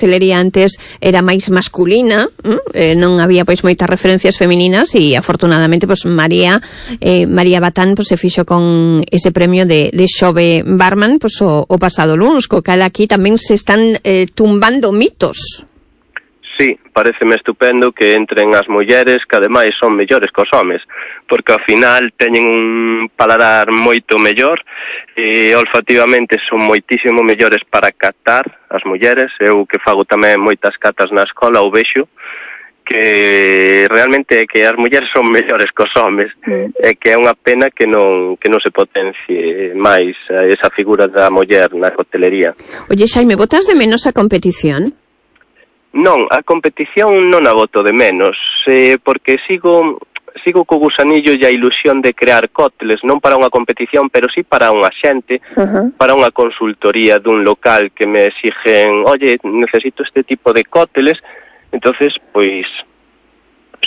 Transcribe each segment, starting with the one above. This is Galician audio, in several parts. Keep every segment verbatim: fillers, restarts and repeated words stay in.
coctelería antes era máis masculina, eh, non había pois moitas referencias femininas e afortunadamente pois María eh, María Batán pois se fixo con ese premio de, de xove barman pois o, o pasado luns, co cal aquí tamén se están eh, tumbando mitos. Sí, pareceme estupendo que entren as mulleres que ademais son mellores cos homes, porque ao final teñen un paladar moito mellor e olfativamente son moitísimo mellores para catar as mulleres. Eu que fago tamén moitas catas na escola o vexo que realmente que as mulleres son mellores cos homes mm. e que é unha pena que non que non se potencie máis esa figura da muller na coctelería. Oye, Xaime, botas de menos a competición? Non, a competición non a boto de menos, eh, porque sigo sigo co gusanillo e a ilusión de crear cócteles, non para unha competición, pero sí para unha xente, uh-huh. para unha consultoría dun local que me exigen, oye, necesito este tipo de cócteles, entonces, pois,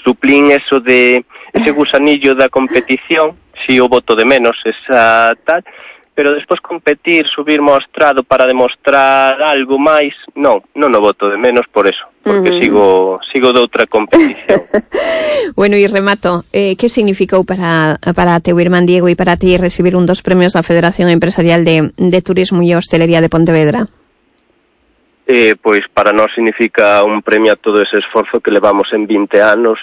suplín eso de ese gusanillo da competición, si o boto de menos, esa tal, pero despois competir, subir mostrado para demostrar algo máis, non, non o boto de menos por eso, porque uh-huh. sigo sigo de outra competición. Bueno, e remato, eh, que significou para para teu irmán Diego e para ti recibir un dos premios da Federación Empresarial de, de Turismo e Hostelería de Pontevedra? Eh, pois para nós significa un premio a todo ese esforzo que levamos en vinte anos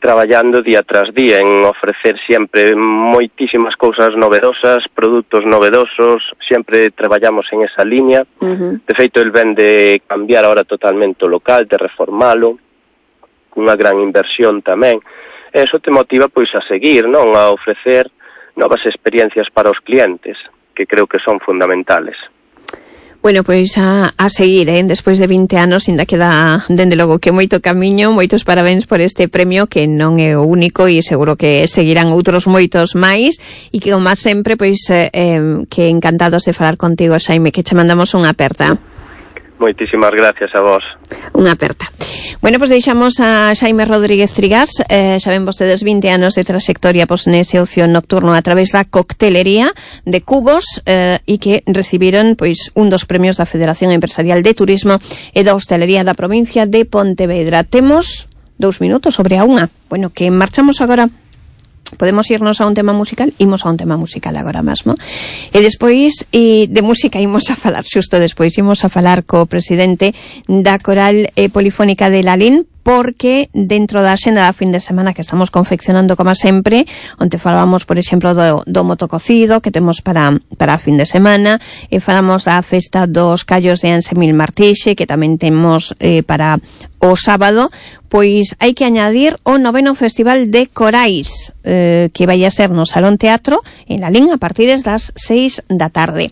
traballando día tras día en ofrecer sempre moitísimas cousas novedosas, produtos novedosos, sempre traballamos en esa línea. Uh-huh. De feito, el ven de cambiar ahora totalmente o local, de reformalo, unha gran inversión tamén. E eso te motiva pois a seguir, non? A ofrecer novas experiencias para os clientes, que creo que son fundamentales. Bueno, pois a, a seguir, eh? Despois de vinte anos ainda queda, dende logo, que moito camiño, moitos parabéns por este premio que non é o único e seguro que seguirán outros moitos máis e que, como sempre, pois eh, que encantados de falar contigo, Xaime, que che mandamos unha aperta. Moitísimas gracias a vos. Unha aperta. Bueno, pois deixamos a Xaime Rodríguez Trigás, eh, xa ven vostedes vinte anos de trayectoria pois nese ocio nocturno a través da coctelería de Cubos eh, e que recibiron pois un dos premios da Federación Empresarial de Turismo e da Hostelería da provincia de Pontevedra. Temos dous minutos sobre a unha. Bueno, que marchamos agora. Podemos irnos a un tema musical, imos a un tema musical agora mesmo. E despois e de música imos a falar, xusto despois imos a falar co presidente da Coral eh, Polifónica de Lalín, porque dentro da xenda da fin de semana que estamos confeccionando como sempre, onde falábamos, por exemplo, do, do motococido que temos para para a fin de semana, e falamos da festa dos callos de Ansemil Martixe, que tamén temos eh, para o sábado, pois hai que añadir o noveno Festival de Corais, eh, que vai a ser no Salón Teatro en Lalín a partir das seis da tarde.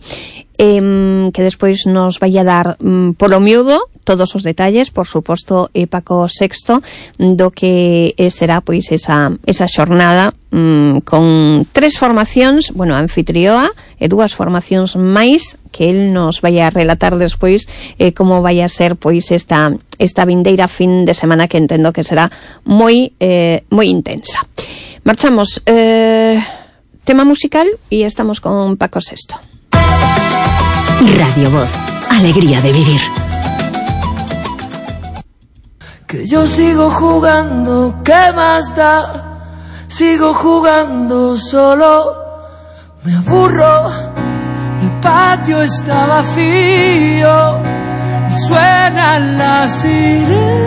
Eh, que despois nos vai a dar mm, polo miúdo todos os detalles, por suposto, e Paco Sexto, do que será pois esa, esa xornada mm, con tres formacións, bueno, anfitrioa e dúas formacións máis que el nos vai a relatar despois eh, como vai a ser pois esta esta vindeira fin de semana, que entendo que será moi eh, moi intensa. Marchamos eh, tema musical e estamos con Paco Sexto. Radio Voz, alegría de vivir. Que yo sigo jugando, ¿qué más da? Sigo jugando solo, me aburro, el patio está vacío y suenan las sirenas.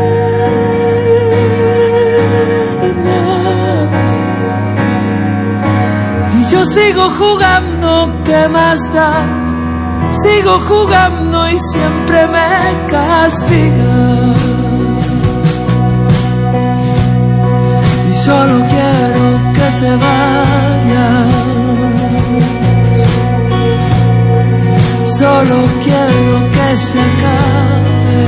Y yo sigo jugando, ¿qué más da? Sigo jugando y siempre me castiga. Y solo quiero que te vayas. Solo quiero que se acabe.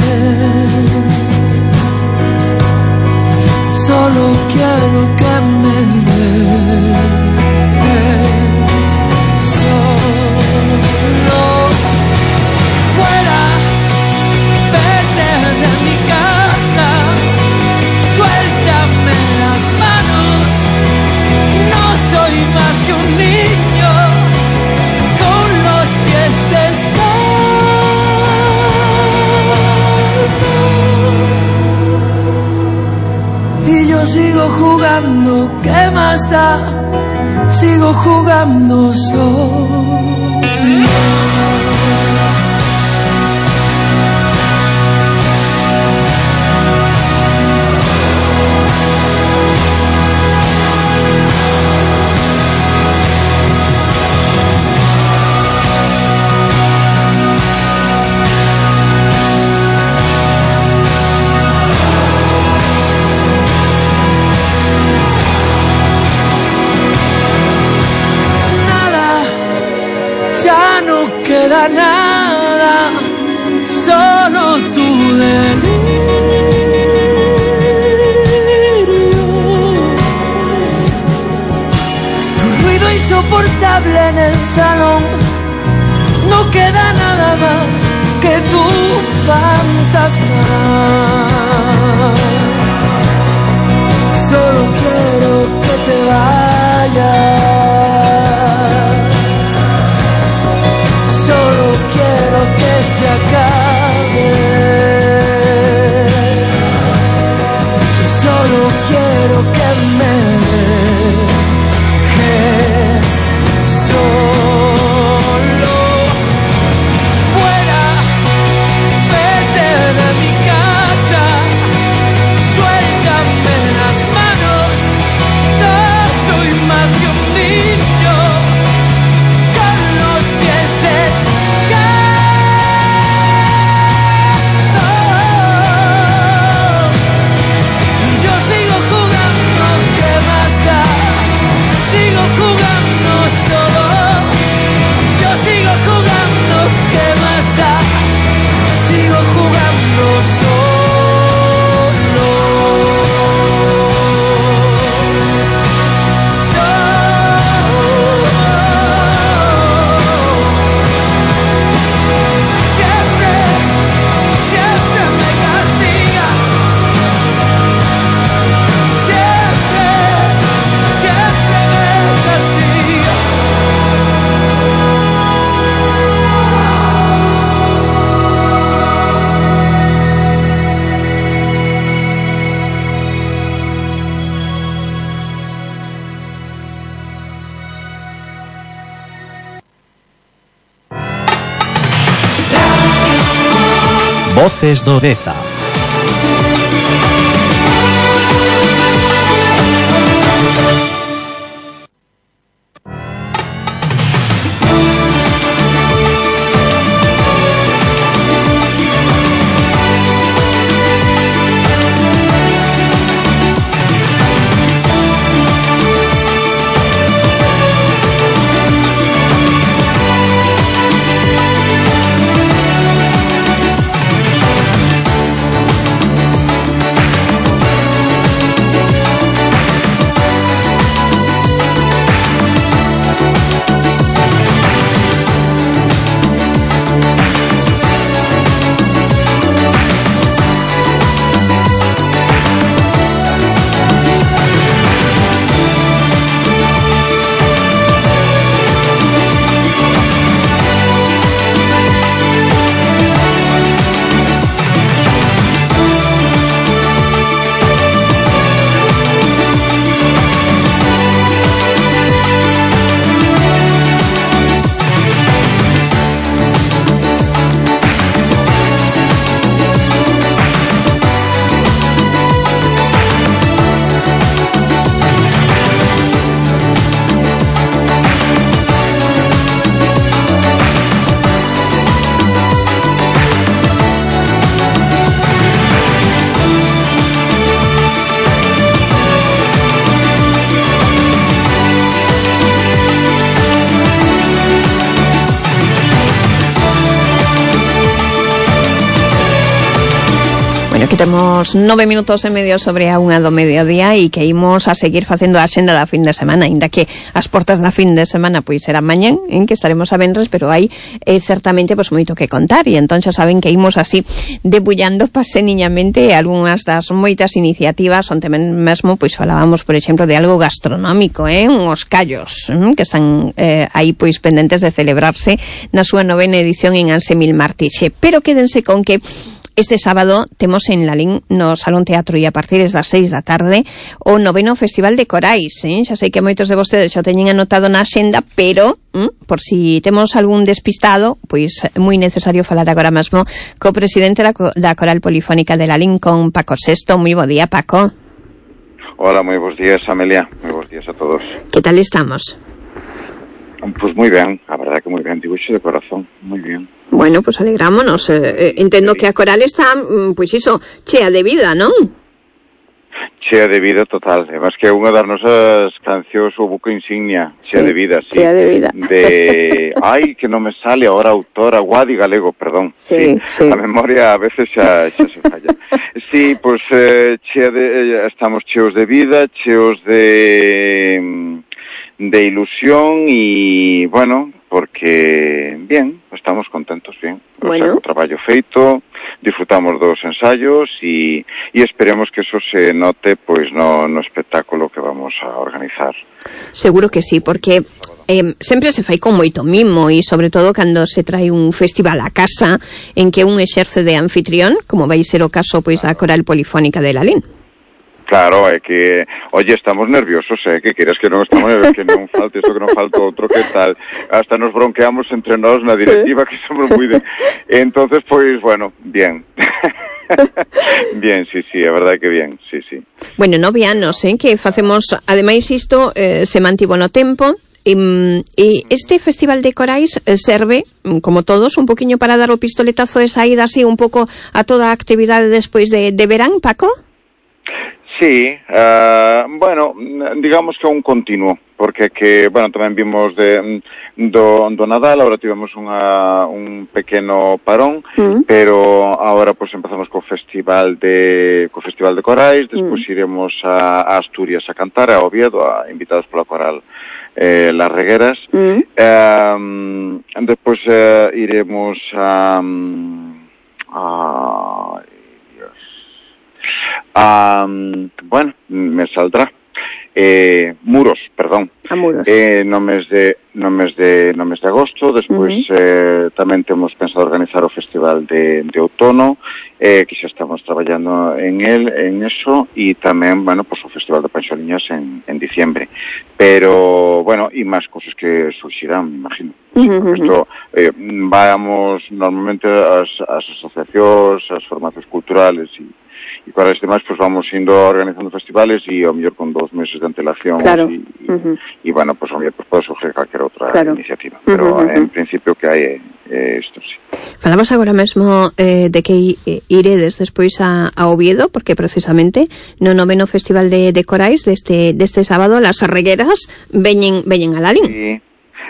Solo quiero que me des. sigo jugando, ¿qué más da? Sigo jugando solo. Queda nada, solo tu delirio. Tu ruido insoportable en el salón, no queda nada más que tu fantasma. Solo quiero que te vayas. Solo quiero que se acabe. Solo quiero que me dejes solo. Fuera, vete de mi casa. Suéltame las manos. No soy más que un niño. Sigo jugando solo, yo sigo jugando, ¿qué más da? Sigo jugando solo. Solo. Siempre, siempre me castigas. Siempre, siempre me castigas. Voces do Deza. Bueno, que temos nove minutos e medio sobre a unha do mediodía e que imos a seguir facendo a xenda da fin de semana, ainda que as portas da fin de semana pois serán mañén, en que estaremos a venres, pero hai eh, certamente pois moito que contar, e entón xa saben que imos así debullando paseniñamente algunhas das moitas iniciativas onde mesmo pois falábamos, por exemplo, de algo gastronómico, eh, uns callos eh, que están eh, aí pois pendentes de celebrarse na súa novena edición en Anse Mil Martixe, pero quédense con que este sábado temos en Lalín no Salón Teatro e a partir das seis da tarde o noveno Festival de Corais, eh? Xa sei que moitos de vostedes xa teñen anotado na axenda, pero mm, por si temos algún despistado, pois é moi necesario falar agora mesmo co presidente da, da Coral Polifónica de Lalín, con Paco Sesto. Moi bo día, Paco. Hola, moi bons días, Amelia. Moi bons días a todos. Que tal estamos? Pues moi ben, a verdade que moi ben, dibuixo de corazón, moi ben. Bueno, pues alegrámonos. Eh, eh, entendo que a coral está, pois pues iso, chea de vida, non? Chea de vida total, además que é unha das nosas cancións o buco insignia, chea sí, de vida, sí. Chea de vida. De, ai, que non me sale ahora autora, Guadi Galego, perdón. Sí, sí. sí. A memoria a veces xa, xa se falla. Sí, pues eh, chea de, eh, estamos cheos de vida, cheos de... de ilusión y, bueno, porque, bien, estamos contentos, bien. Bueno. O sea, o traballo feito, disfrutamos dos ensayos y, y esperemos que eso se note, pois, no, no espectáculo que vamos a organizar. Seguro que sí, porque eh, sempre se fai con moito mimo e, sobre todo, cando se trae un festival a casa en que un exerce de anfitrión, como vai ser o caso, pois, da Coral Polifónica de Lalín. Claro, é que, oye, estamos nerviosos, eh, que queres que non estamos nerviosos, que non falte isto, que non falte outro, que tal, hasta nos bronqueamos entre nós na directiva, sí. Que somos moi de... Entonces, pois, bueno, bien. Bien, sí, sí, a verdade que bien, sí, sí. Bueno, nove anos, eh, que facemos, ademais isto eh, se mantivo no tempo, e, e este Festival de Corais serve, como todos, un poquinho para dar o pistoletazo de saída así un pouco a toda a actividade despois de, de verán, Paco? Sí, uh, bueno, digamos que un continuo, porque que, bueno, tamén vimos de do, do Nadal, ahora tivemos unha, un pequeno parón, mm. pero ahora pues empezamos co festival de co festival de Corais, despois mm. iremos a, a Asturias a cantar, a Oviedo, a, invitados pola Coral eh, Las Regueras, mm. um, despois uh, iremos a... a Um, bueno, me saldrá eh, Muros, perdón. A Muros. Eh, no mes de no mes de no mes de agosto, despois uh-huh. eh, tamén temos pensado organizar o festival de de outono, eh, que xa estamos traballando en el, en eso, e tamén, bueno, pues o festival de Panxoliñas en en diciembre. Pero, bueno, e máis cosas que surxirán, me imagino. Uh-huh. Esto, eh, vamos normalmente as as asociacións, as formacións culturales e e para este máis, pues vamos indo organizando festivales e ao mellor con dos meses de antelación, claro. e, uh-huh. e bueno, pues ao mellor pues, pode surgir calquera outra claro. iniciativa, pero uh-huh. en principio que hai é isto, sí. Falamos agora mesmo eh, de que iredes despois a, a Oviedo, porque precisamente no noveno Festival de, de Corais deste, deste sábado, Las Regueras veñen, veñen a Lalín. Sí,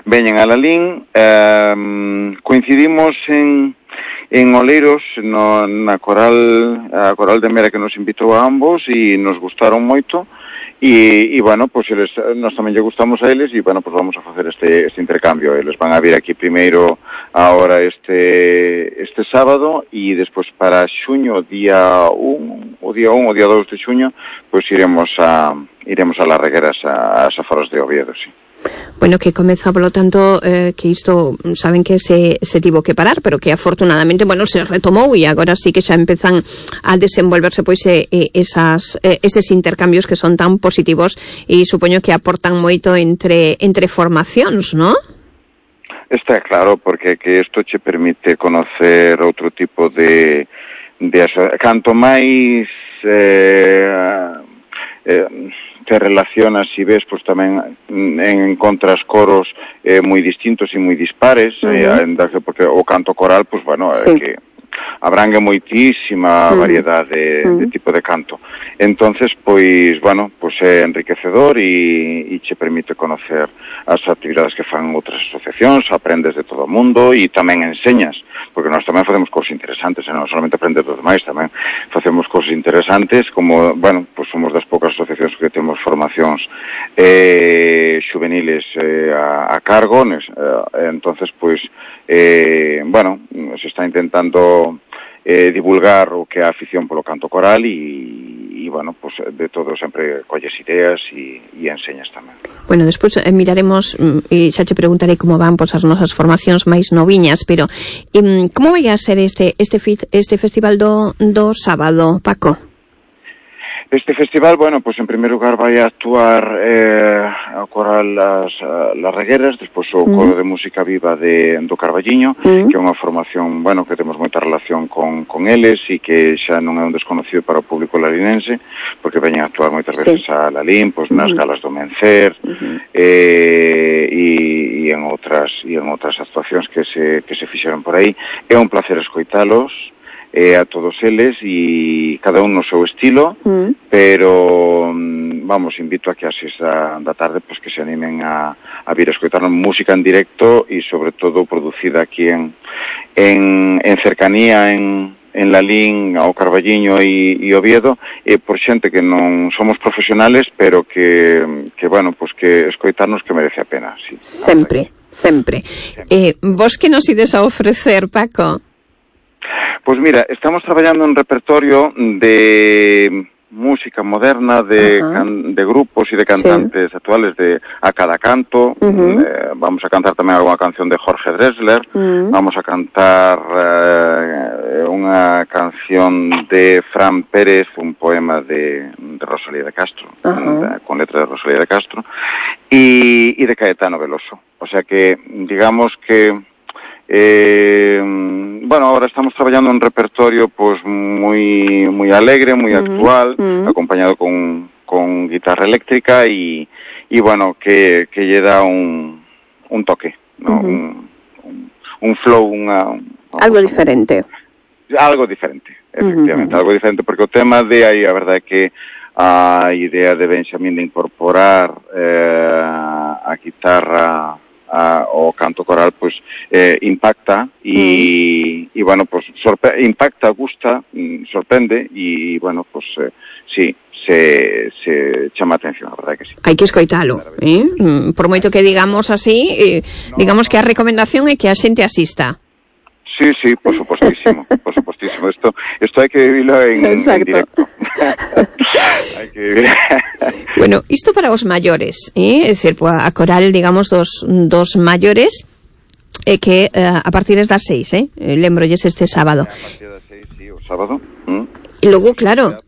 veñen a Lalín, eh, coincidimos en en Oleiros, no, na coral, a Coral de Mera que nos invitou a ambos e nos gustaron moito e, e bueno, pues eles, nós tamén lle gustamos a eles e bueno, pues vamos a facer este, este intercambio. Eles van a vir aquí primeiro ahora este este sábado e despois para xuño, día un, o día un, o día dous de xuño, pues iremos a iremos a Las Regueras, a, a Aforos de Oviedo, sí. Bueno, que comeza, polo tanto, eh, que isto saben que se, se tivo que parar, pero que afortunadamente, bueno, se retomou e agora sí que xa empezan a desenvolverse pois eh, esas, eh, eses intercambios que son tan positivos e supoño que aportan moito entre entre formacións, ¿no? Está claro, porque que isto che permite conocer outro tipo de, de canto máis eh, eh, te relacionas e ves, pois tamén encontras coros eh, moi distintos e moi dispares, uh-huh. eh, porque o canto coral, pois bueno, sí. é que abrangue moitísima uh-huh. variedade de, uh-huh. de tipo de canto. Entonces, pois, bueno, pois é enriquecedor e, e che permite conocer as actividades que fan outras asociacións, aprendes de todo o mundo e tamén enseñas, porque nós tamén facemos cosas interesantes, e non solamente aprendes dos demais, tamén facemos cosas interesantes, como, bueno, pois somos das poucas asociacións que temos formacións eh, juveniles eh, a, a cargo, nes, eh, entonces, pois, eh, bueno, se está intentando eh, divulgar o que é a afición polo canto coral e, e e, e bueno, pues de todo sempre colles ideas e, e enseñas tamén. Bueno, despois eh, miraremos e xa te preguntarei como van pois as nosas formacións máis noviñas, pero eh, como vai a ser este este fit, este festival do do sábado, Paco? Este festival, bueno, pues en primer lugar vai a actuar eh, a coral Las, las Regueras, despois o coro de música viva de do Carballiño, uh-huh. que é unha formación, bueno, que temos moita relación con, con eles e que xa non é un desconocido para o público lalinense, porque veñen a actuar moitas veces sí. a Lalín, pues, nas uh-huh. galas do Mencer, uh-huh. eh, e, e en outras e en outras actuacións que se que se fixeron por aí. É un placer escoitalos, eh, a todos eles e cada un no seu estilo, mm. pero vamos, invito a que a seis da, da tarde pues que se animen a, a vir a escoitar música en directo e sobre todo producida aquí en en, en cercanía en en Lalín, ao Carballiño e, e Oviedo, e por xente que non somos profesionales, pero que, que bueno, pues que escoitarnos que merece a pena. Sí, sempre, sempre. sempre. Eh, vos que nos ides a ofrecer, Paco? Pues mira, estamos traballando en repertorio de música moderna, de, uh-huh. can, de grupos y de cantantes sí. actuales de A Cada Canto. Uh-huh. eh, vamos a cantar tamén alguna canción de Jorge Drexler. Uh-huh. Vamos a cantar eh, unha canción de Fran Pérez, un poema de, de Rosalía de Castro, uh-huh. de, con letra de Rosalía de Castro, y, y de Caetano Veloso. O sea que, digamos que Eh, bueno, ahora estamos traballando un repertorio pues muy muy alegre, muy uh-huh. actual, uh-huh. acompañado con, con guitarra eléctrica y, y bueno, que, que lle da un, un toque, ¿no? Uh-huh. un, un, un flow, una, un, algo diferente. Algo diferente, efectivamente, uh-huh. algo diferente, porque o tema de aí, a verdade é que a idea de Benxamín de incorporar eh, a guitarra A, o canto coral pues eh, impacta y, mm. y bueno pues sorpre- impacta, gusta, sorprende y bueno pues eh, sí se, se chama atención, a verdade que sí. Hai que escoitalo, eh? Por moito que digamos así, eh, no, digamos no, que a recomendación é que a xente asista. Sí, sí, por supuestísimo, por supuestísimo. Esto, esto hay que vivirlo en, en directo. Hay que vivir. Bueno, isto para os maiores, eh? É dicir, a coral, digamos, dos, dos maiores, eh, que eh, a partir das seis, eh? Lembrolles este sábado. A partir das seis, sí, o sábado. ¿Mm? E logo, claro,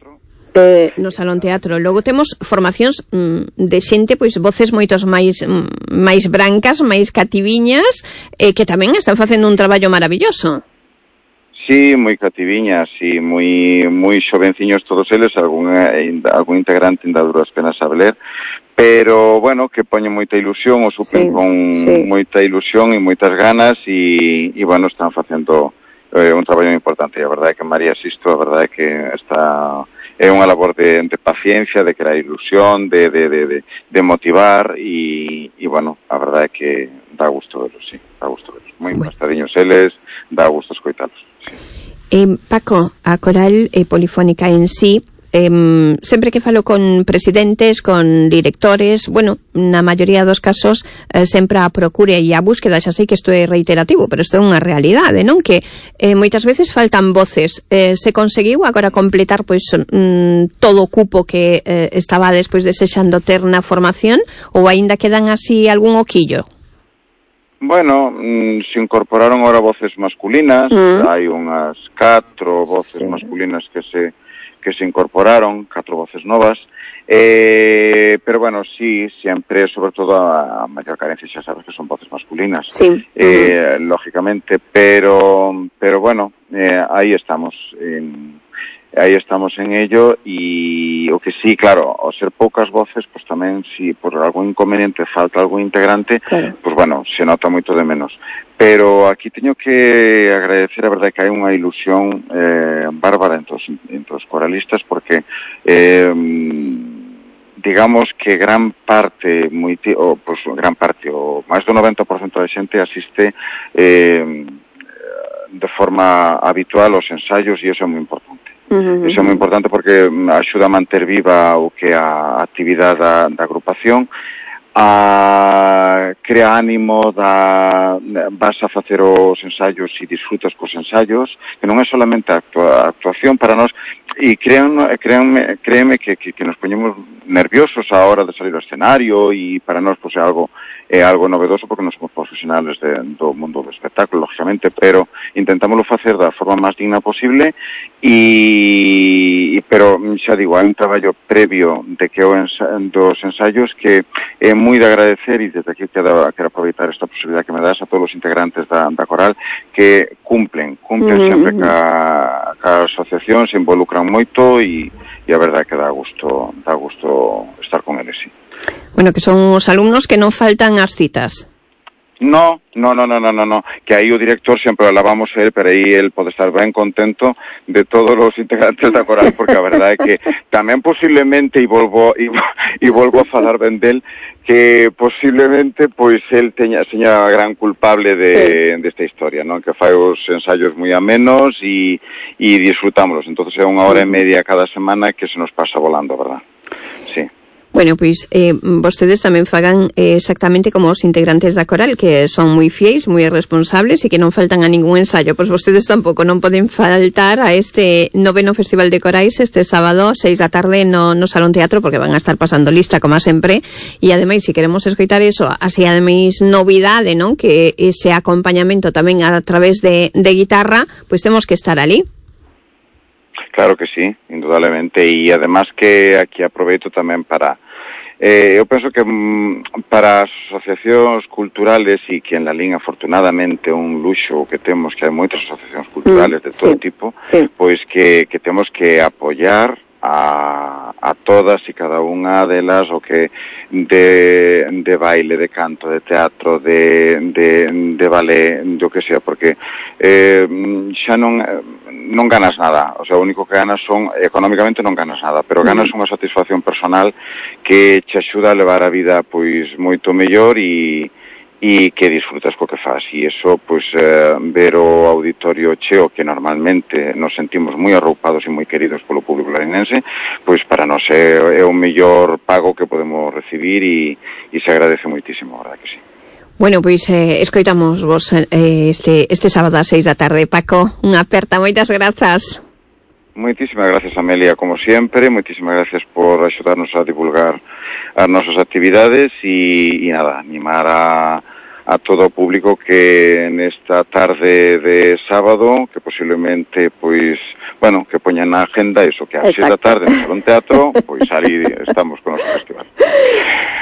eh, no Salón Teatro. Logo temos formacións mm, de xente, pois voces moitos máis mm, máis brancas, máis cativiñas, eh, que tamén están facendo un traballo maravilloso. Sí, moi cativiñas e moi moi xovenciños todos eles, algún algún integrante ainda duras penas a ver, pero bueno, que poñen moita ilusión, o supen sí, con sí. moita ilusión e moitas ganas e, e bueno, están facendo eh, un traballo importante. A verdade é que María Sisto, a verdade é que está é unha labor de, de paciencia, de crear ilusión, de, de, de, de, de motivar e, e bueno, a verdade é que dá gusto verlos, sí, dá gusto verlos. Moi bueno. Empastadiños eles, dá gusto escoitalos. Sí. Eh, Paco, a coral eh, polifónica en sí, eh, sempre que falo con presidentes, con directores, bueno, na maioría dos casos eh, sempre a procura e a búsqueda, xa sei que isto é reiterativo, pero isto é unha realidade, non? Que eh, moitas veces faltan voces. Eh, se conseguiu agora completar pois mm, todo o cupo que eh, estaba despois desexando ter na formación ou aínda quedan así algún oquillo? Bueno, mm, se incorporaron ahora voces masculinas, mm. hai unhas catro voces sí. masculinas que se que se incorporaron, catro voces novas, eh, pero bueno, sí, siempre, sobre todo a, a mayor carencia, xa sabes que son voces masculinas, sí. eh, mm. lógicamente, pero pero bueno, eh, ahí estamos, en, aí estamos en ello e o que sí, claro, ao ser poucas voces, pues tamén si por algún inconveniente falta algún integrante, claro. Pues bueno, se nota moito de menos. Pero aquí teño que agradecer, a verdade, que hai unha ilusión eh, bárbara entre os, entre os coralistas, porque eh, digamos que gran parte, moi, o, pues, gran parte, o máis do noventa por cento da xente asiste eh, de forma habitual aos ensaios e iso é moi importante. Uh-huh. Iso é moi importante porque axuda a manter viva o que a actividade da, da agrupación, a crea ánimo, da, vas a facer os ensaios e disfrutas cos ensaios, que non é solamente a, actua, a actuación para nós, y créanme, créanme, créeme que, que, que nos poñemos nerviosos a hora de salir ao escenario e para nós pues, é algo é algo novedoso porque non somos profesionales de, do mundo do espectáculo, lógicamente, pero intentámoslo facer da forma máis digna posible e pero xa digo, hai un traballo previo de que o ensa, dos ensaios que é moi de agradecer e desde aquí quero, quero aproveitar esta posibilidad que me das a todos os integrantes da, da coral que cumplen, cumplen mm-hmm. sempre ca, ca asociación, se involucran moito e, e a verdade que dá gusto, dá gusto estar con eles, sí. Bueno, que son os alumnos que non faltan ás citas. No, no, no, no, no, no, no, que aí o director sempre alabamos a él, pero aí él pode estar ben contento de todos os integrantes da coral, porque a verdade é que tamén posiblemente, e volvo, e, e volvo a falar ben del, que posiblemente, pois, él teña, seña gran culpable de, sí. desta historia, non? Que fai os ensaios moi amenos e, e disfrutámoslos, entonces é unha hora e media cada semana que se nos pasa volando, verdad? Sí. Bueno, pois eh, vostedes tamén fagan eh, exactamente como os integrantes da coral, que son moi fiéis, moi responsables e que non faltan a ningún ensayo. Pois vostedes tampouco non poden faltar a este noveno Festival de Corais este sábado, seis da tarde no, no Salón Teatro, porque van a estar pasando lista, como sempre, e ademais, se queremos escoitar eso, así ademais novidade, non? Que ese acompañamento tamén a través de, de guitarra, pois temos que estar ali. Claro que sí, indudablemente, e además que aquí aproveito tamén para eh, eu penso que mm, para as asociacións culturales e que en la Lalín afortunadamente un luxo que temos, que hai moitas asociacións culturales mm, de todo sí, tipo, sí. pois que, que temos que apoiar a, a todas e cada unha delas o que de, de baile, de canto, de teatro, de, de, de ballet, do que sea, porque eh, xa non non ganas nada, o sea, o único que ganas son, económicamente non ganas nada, pero ganas unha satisfacción personal que te axuda a levar a vida pois moito mellor e e que disfrutas co que faz, e iso, pois, eh, ver o auditorio cheo, que normalmente nos sentimos moi arroupados e moi queridos polo público larinense, pois para nós é, é o mellor pago que podemos recibir e, e se agradece moitísimo, a verdade que sí. Bueno, pois eh, escoitamos vos eh, este, este sábado a seis da tarde. Paco, unha aperta, moitas grazas. Moitísimas gracias, Amelia, como sempre, moitísimas gracias por axudarnos a divulgar as nosas actividades e, e nada, animar a, a todo o público que nesta tarde de sábado, que posiblemente, pois, bueno, que poñan na agenda iso, que a seis da tarde no Salón Teatro, pois ali estamos con o festival.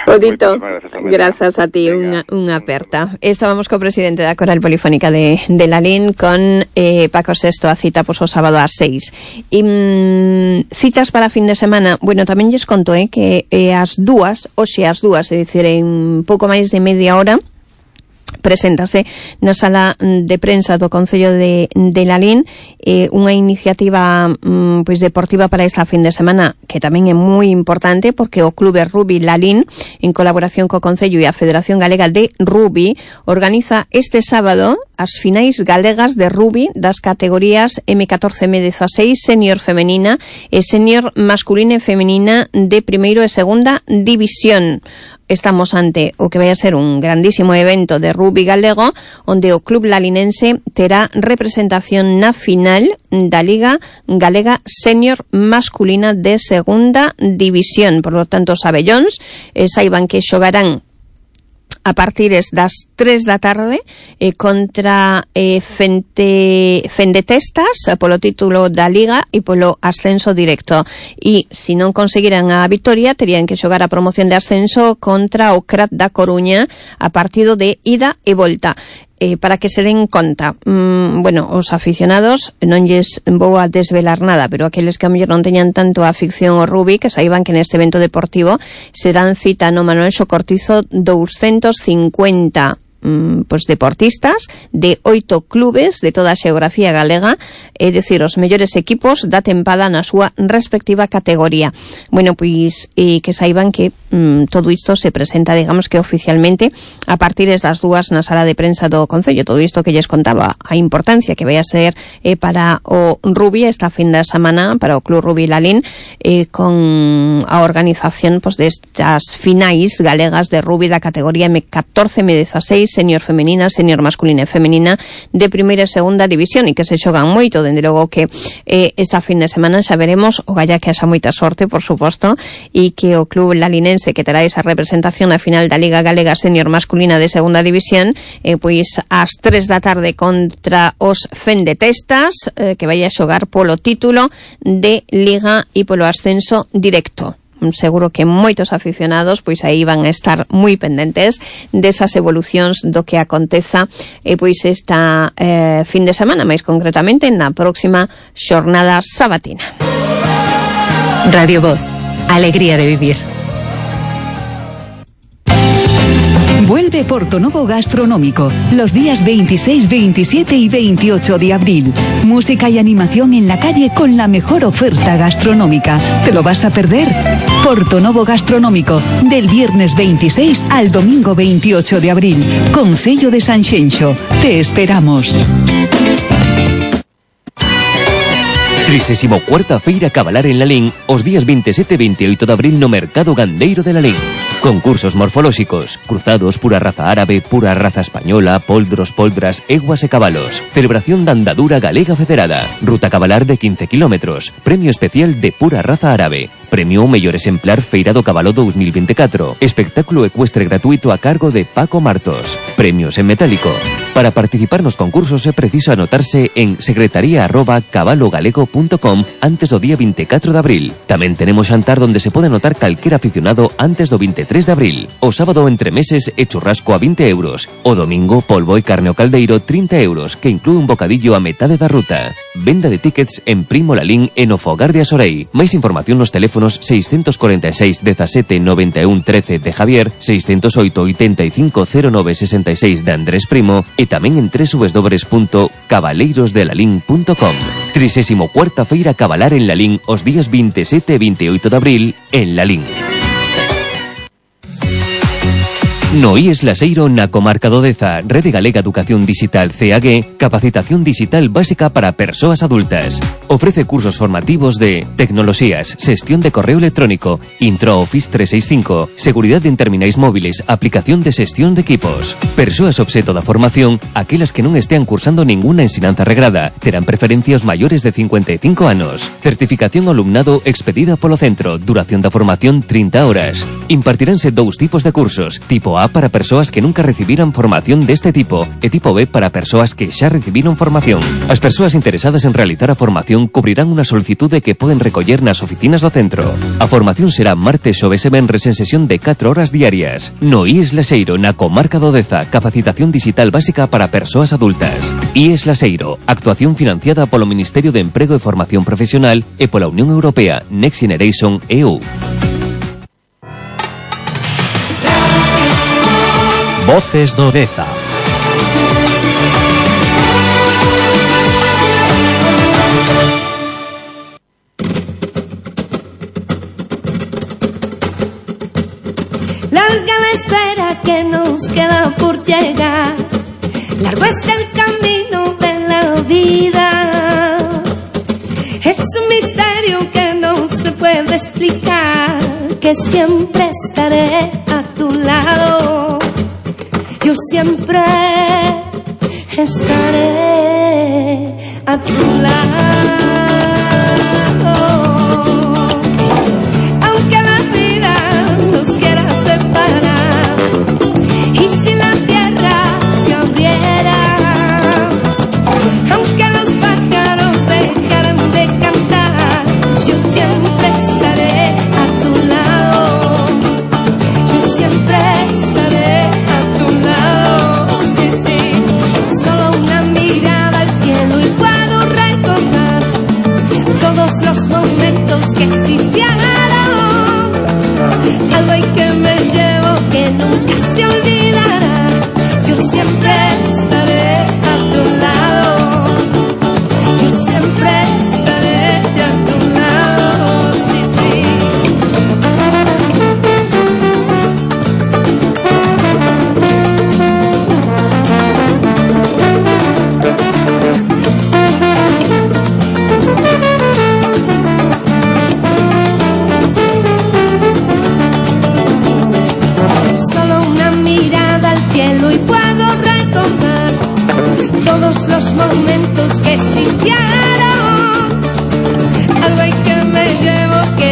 Odito, grazas a ti, unha, unha aperta. Estábamos co presidente da Coral Polifónica de, de Lalín con eh, Paco Sesto, a cita pois, o sábado ás seis. E mm, citas para fin de semana, bueno, tamén lles conto eh, que eh, as dúas, hoxe as dúas, é dicir, en pouco máis de media hora, preséntase na sala de prensa do Concello de, de Lalín eh, unha iniciativa mm, pois deportiva para esta fin de semana que tamén é moi importante porque o Clube Rugby Lalín en colaboración co Concello e a Federación Galega de Rugby organiza este sábado as finais galegas de rugby das categorías eme catorce eme dieciséis senior femenina e senior masculina e femenina de primeiro e segunda división. Estamos ante o que vai a ser un grandísimo evento de rugby galego onde o club lalinense terá representación na final da Liga Galega Senior Masculina de Segunda División. Por lo tanto, os abellóns eh, saiban que xogarán a partir das tres da tarde eh, contra eh, Fente, Fendetestas polo título da Liga e polo ascenso directo. E se non conseguiran a victoria, terían que xogar a promoción de ascenso contra o Crat da Coruña a partido de ida e volta. Eh, para que se den conta, mm, bueno, os aficionados non lles vou a desvelar nada, pero aqueles que a mellor non teñan tanto a afición ao rugby, que saiban que neste evento deportivo serán cita no Manuel Socortizo doscientos cincuenta mm, pues deportistas de oito clubes de toda a xeografía galega, é dicir, os mellores equipos da tempada na súa respectiva categoría. Bueno, pois eh, que saiban que mm, todo isto se presenta, digamos que oficialmente a partir das dúas na sala de prensa do Concello. Todo isto que lles contaba a importancia que vai a ser eh, para o rugby esta fin de semana, para o Club Rugby Lalín, eh, con a organización pues, destas finais galegas de rugby da categoría eme catorce eme dieciséis senior femenina, senior masculina e femenina de primeira e segunda división e que se xogan moito, dende logo que eh, esta fin de semana xa veremos, o galla que haxa moita sorte, por suposto, e que o club lalinense que terá esa representación na final da Liga Galega Senior Masculina de segunda división, eh, pois ás tres da tarde contra os Fendetestas, eh, que vai a xogar polo título de Liga e polo ascenso directo. Seguro que moitos aficionados pois aí van a estar moi pendentes desas evolucións do que aconteza e pois esta eh, fin de semana, máis concretamente na próxima xornada sabatina. Radio Voz, alegría de vivir. Vuelve Portonovo Gastronómico los días veintiséis, veintisiete y veintiocho de abril. Música y animación en la calle con la mejor oferta gastronómica. ¿Te lo vas a perder? Portonovo Gastronómico, del viernes veintiséis al domingo veintiocho de abril. Concello de Sanxenxo. Te esperamos. Trisésimo cuarta Feira Cabalar en Lalín os días veintisiete e veintiocho de abril no Mercado Gandeiro de Lalín. Concursos morfolóxicos, cruzados, pura raza árabe, pura raza española, poldros, poldras, eguas e cabalos. Celebración da andadura galega federada. Ruta cabalar de quince kilómetros. Premio especial de pura raza árabe. Premio ao mellor exemplar Feira do Cabalo dos mil veinticuatro. Espectáculo ecuestre gratuito a cargo de Paco Martos. Premios en metálico. Para participar nos concursos é preciso anotarse en secretaría arroba cabalogalego punto com antes do día veinticuatro de abril. Tamén tenemos xantar donde se pode anotar calquer aficionado antes do veintitrés de abril. O sábado entre meses e churrasco a vinte euros. O domingo polvo e carne ao caldeiro trinta euros, que inclúe un bocadillo a metade da ruta. Venda de tickets en Primo Lalín e no Fogar de Asorei. Máis información nos teléfonos seiscentos cuarenta e seis dezasete noventa e un trece de Javier, seiscentos oito oitenta e cinco cero nove sesenta e seis de Andrés Primo e tamén en doble u doble u doble u punto cabaleirosdelalín punto com. Trisésimo cuarta Feira Cabalar en Lalín os días veintisiete e veintiocho de abril en Lalín. No I E S Laseiro na comarca do Deza, Rede Galega Educación Digital C A G, capacitación digital básica para persoas adultas. Ofrece cursos formativos de tecnoloxías, xestión de correo electrónico, Intro Office trescientos sesenta y cinco, seguridade en terminais móviles, aplicación de xestión de equipos. Persoas obxeto da formación, aquelas que non estean cursando ninguna ensinanza regrada, terán preferencia os maiores de cincuenta e cinco anos. Certificación ao alumnado expedida polo centro, duración da formación trinta horas. Impartiránse dous tipos de cursos, tipo A para persoas que nunca recibiran formación deste tipo e tipo B para persoas que xa recibiron formación. As persoas interesadas en realizar a formación cubrirán unha solicitude que poden recoller nas oficinas do centro. A formación será martes, xoves e venres en sesión de catro horas diarias. No I E S Laseiro, na comarca do Deza, capacitación digital básica para persoas adultas. I E S Laseiro, actuación financiada polo Ministerio de Emprego e Formación Profesional e pola Unión Europea Next Generation E U. Voces do Deza. Larga la espera que nos queda por llegar, largo es el camino de la vida. Es un misterio que no se puede explicar, que siempre estaré a tu lado. Yo siempre estaré a tu lado. Aunque la vida nos quiera separar, y si la tierra se abriera, aunque los pájaros dejaran de cantar, yo siempre estaré a tu lado. Yo siempre estaré a tu lado. Sí, sí. Solo una mirada al cielo y puedo recordar todos los momentos que existieron. Algo hay que me llevo que nunca se olvidará. Yo siempre estaré a tu lado. Yo siempre estaré a tu lado. Sí, sí.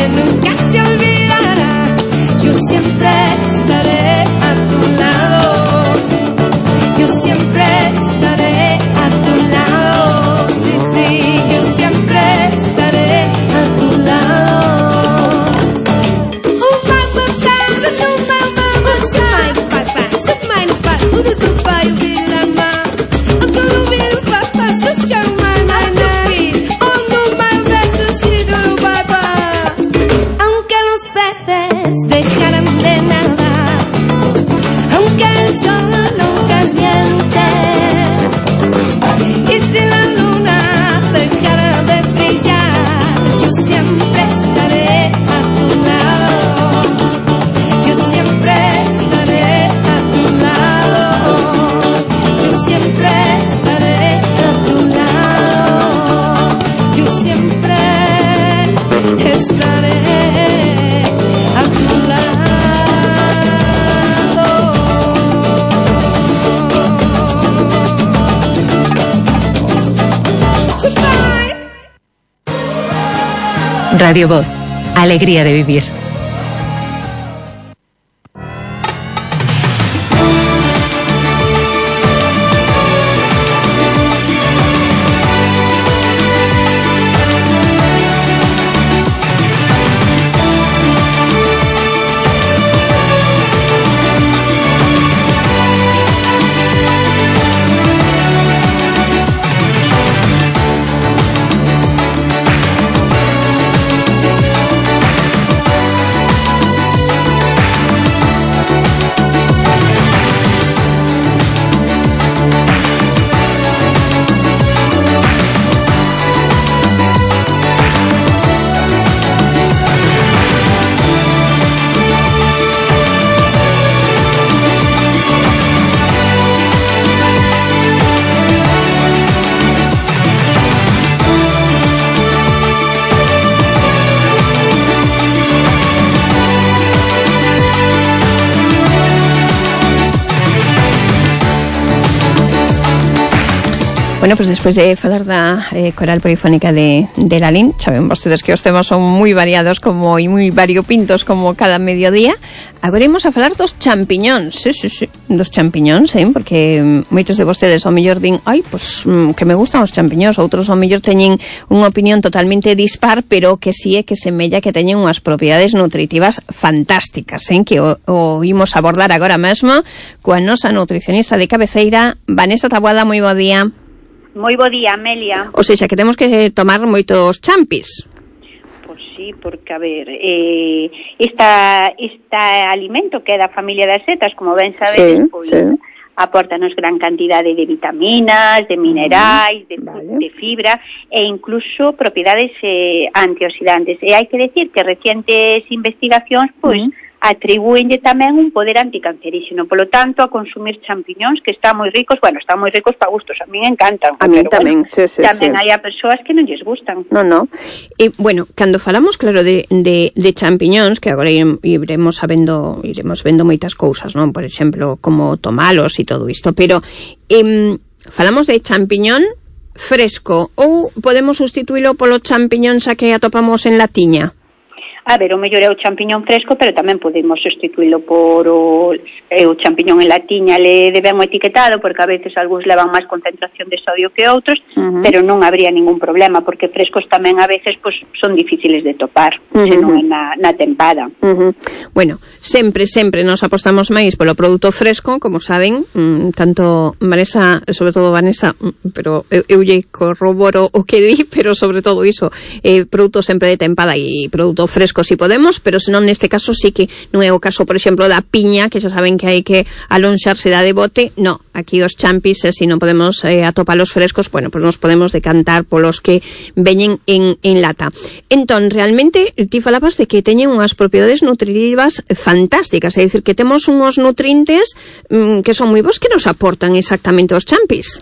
que nunca se olvidará. Yo siempre estaré a tu lado. Yo siempre estaré a tu lado. Sí, sí, yo siempre estaré a tu lado. Oh, mama, passa, no, mama, mama, pai, pai, super mais, pai, o do teu pai, o vira, ma, o do do vira, papa, se chama, nanai, oh, no, mama, se chama, papa. Aunque los peces dejaran de nadar, aunque el sol no caliente, y si la luna dejara de brillar, yo siempre estaré a tu lado. Yo siempre estaré a tu lado. Yo siempre estaré a tu lado. Yo siempre estaré a tu lado. Radio Voz, alegría de vivir. Bueno, pues despois de falar da eh, coral polifónica de, de Lalín, saben vostedes que os temas son moi variados como e moi variopintos como cada mediodía. Agora imos a falar dos champiñóns, sí, sí, sí, dos champiñóns, eh, porque moitos de vostedes ao mellor din, ai, pues que me gustan os champiñóns, outros ao mellor teñen unha opinión totalmente dispar, pero que si é que semella que teñen unhas propiedades nutritivas fantásticas, eh, que o, o imos abordar agora mesmo coa nosa nutricionista de cabeceira, Vanessa Taboada. Moi bo día. Moi bo día, Amelia. O seja, que temos que tomar moitos champis. Pois sí, porque, a ver, eh, esta, esta alimento que é da familia das setas, como ben sabedes, sí, pois, sí, aportanos gran cantidade de vitaminas, de minerais, de, vale, de fibra e incluso propiedades eh, antioxidantes. E hai que decir que recientes investigacións, pois, uh-huh, atribúenlle tamén un poder anticancerígeno. Polo tanto, a consumir champiñóns que están moi ricos, bueno, están moi ricos para gustos, a mí me encantan. A mí tamén, bueno, sí, sí, tamén sí. hai a persoas que non lles gustan. No, no. E, bueno, cando falamos, claro, de, de, de champiñóns, que agora iremos sabendo, iremos vendo moitas cousas, non? Por exemplo, como tomalos e todo isto, pero eh, falamos de champiñón fresco ou podemos sustituílo polo champiñón xa que atopamos en latiña? A ver, o mellor é o champiñón fresco, pero tamén podemos sustituílo por o, é o champiñón en latiña, le de ben o etiquetado, porque a veces algúns levan máis concentración de sodio que outros, uh-huh, pero non habría ningún problema, porque frescos tamén a veces pues, son difíciles de topar, uh-huh, se non é na, na tempada. Uh-huh. Bueno, sempre, sempre nos apostamos máis polo produto fresco, como saben, mmm, tanto Vanessa, sobre todo Vanessa, pero eu, eu lle corroboro o que di, pero sobre todo iso, eh, produto sempre de tempada e produto fresco si podemos, pero senón neste caso sí que non é o caso, por exemplo, da piña, que xa saben que hai que alonxarse da de bote. No, aquí os champis, eh, se non podemos eh, atopalos frescos, bueno, pues nos podemos decantar polos que veñen en, en lata. Entón, realmente, ti falabas de que teñen unhas propiedades nutritivas fantásticas, é dicir, que temos unhos nutrientes mmm, que son moi bons, que nos aportan exactamente os champis.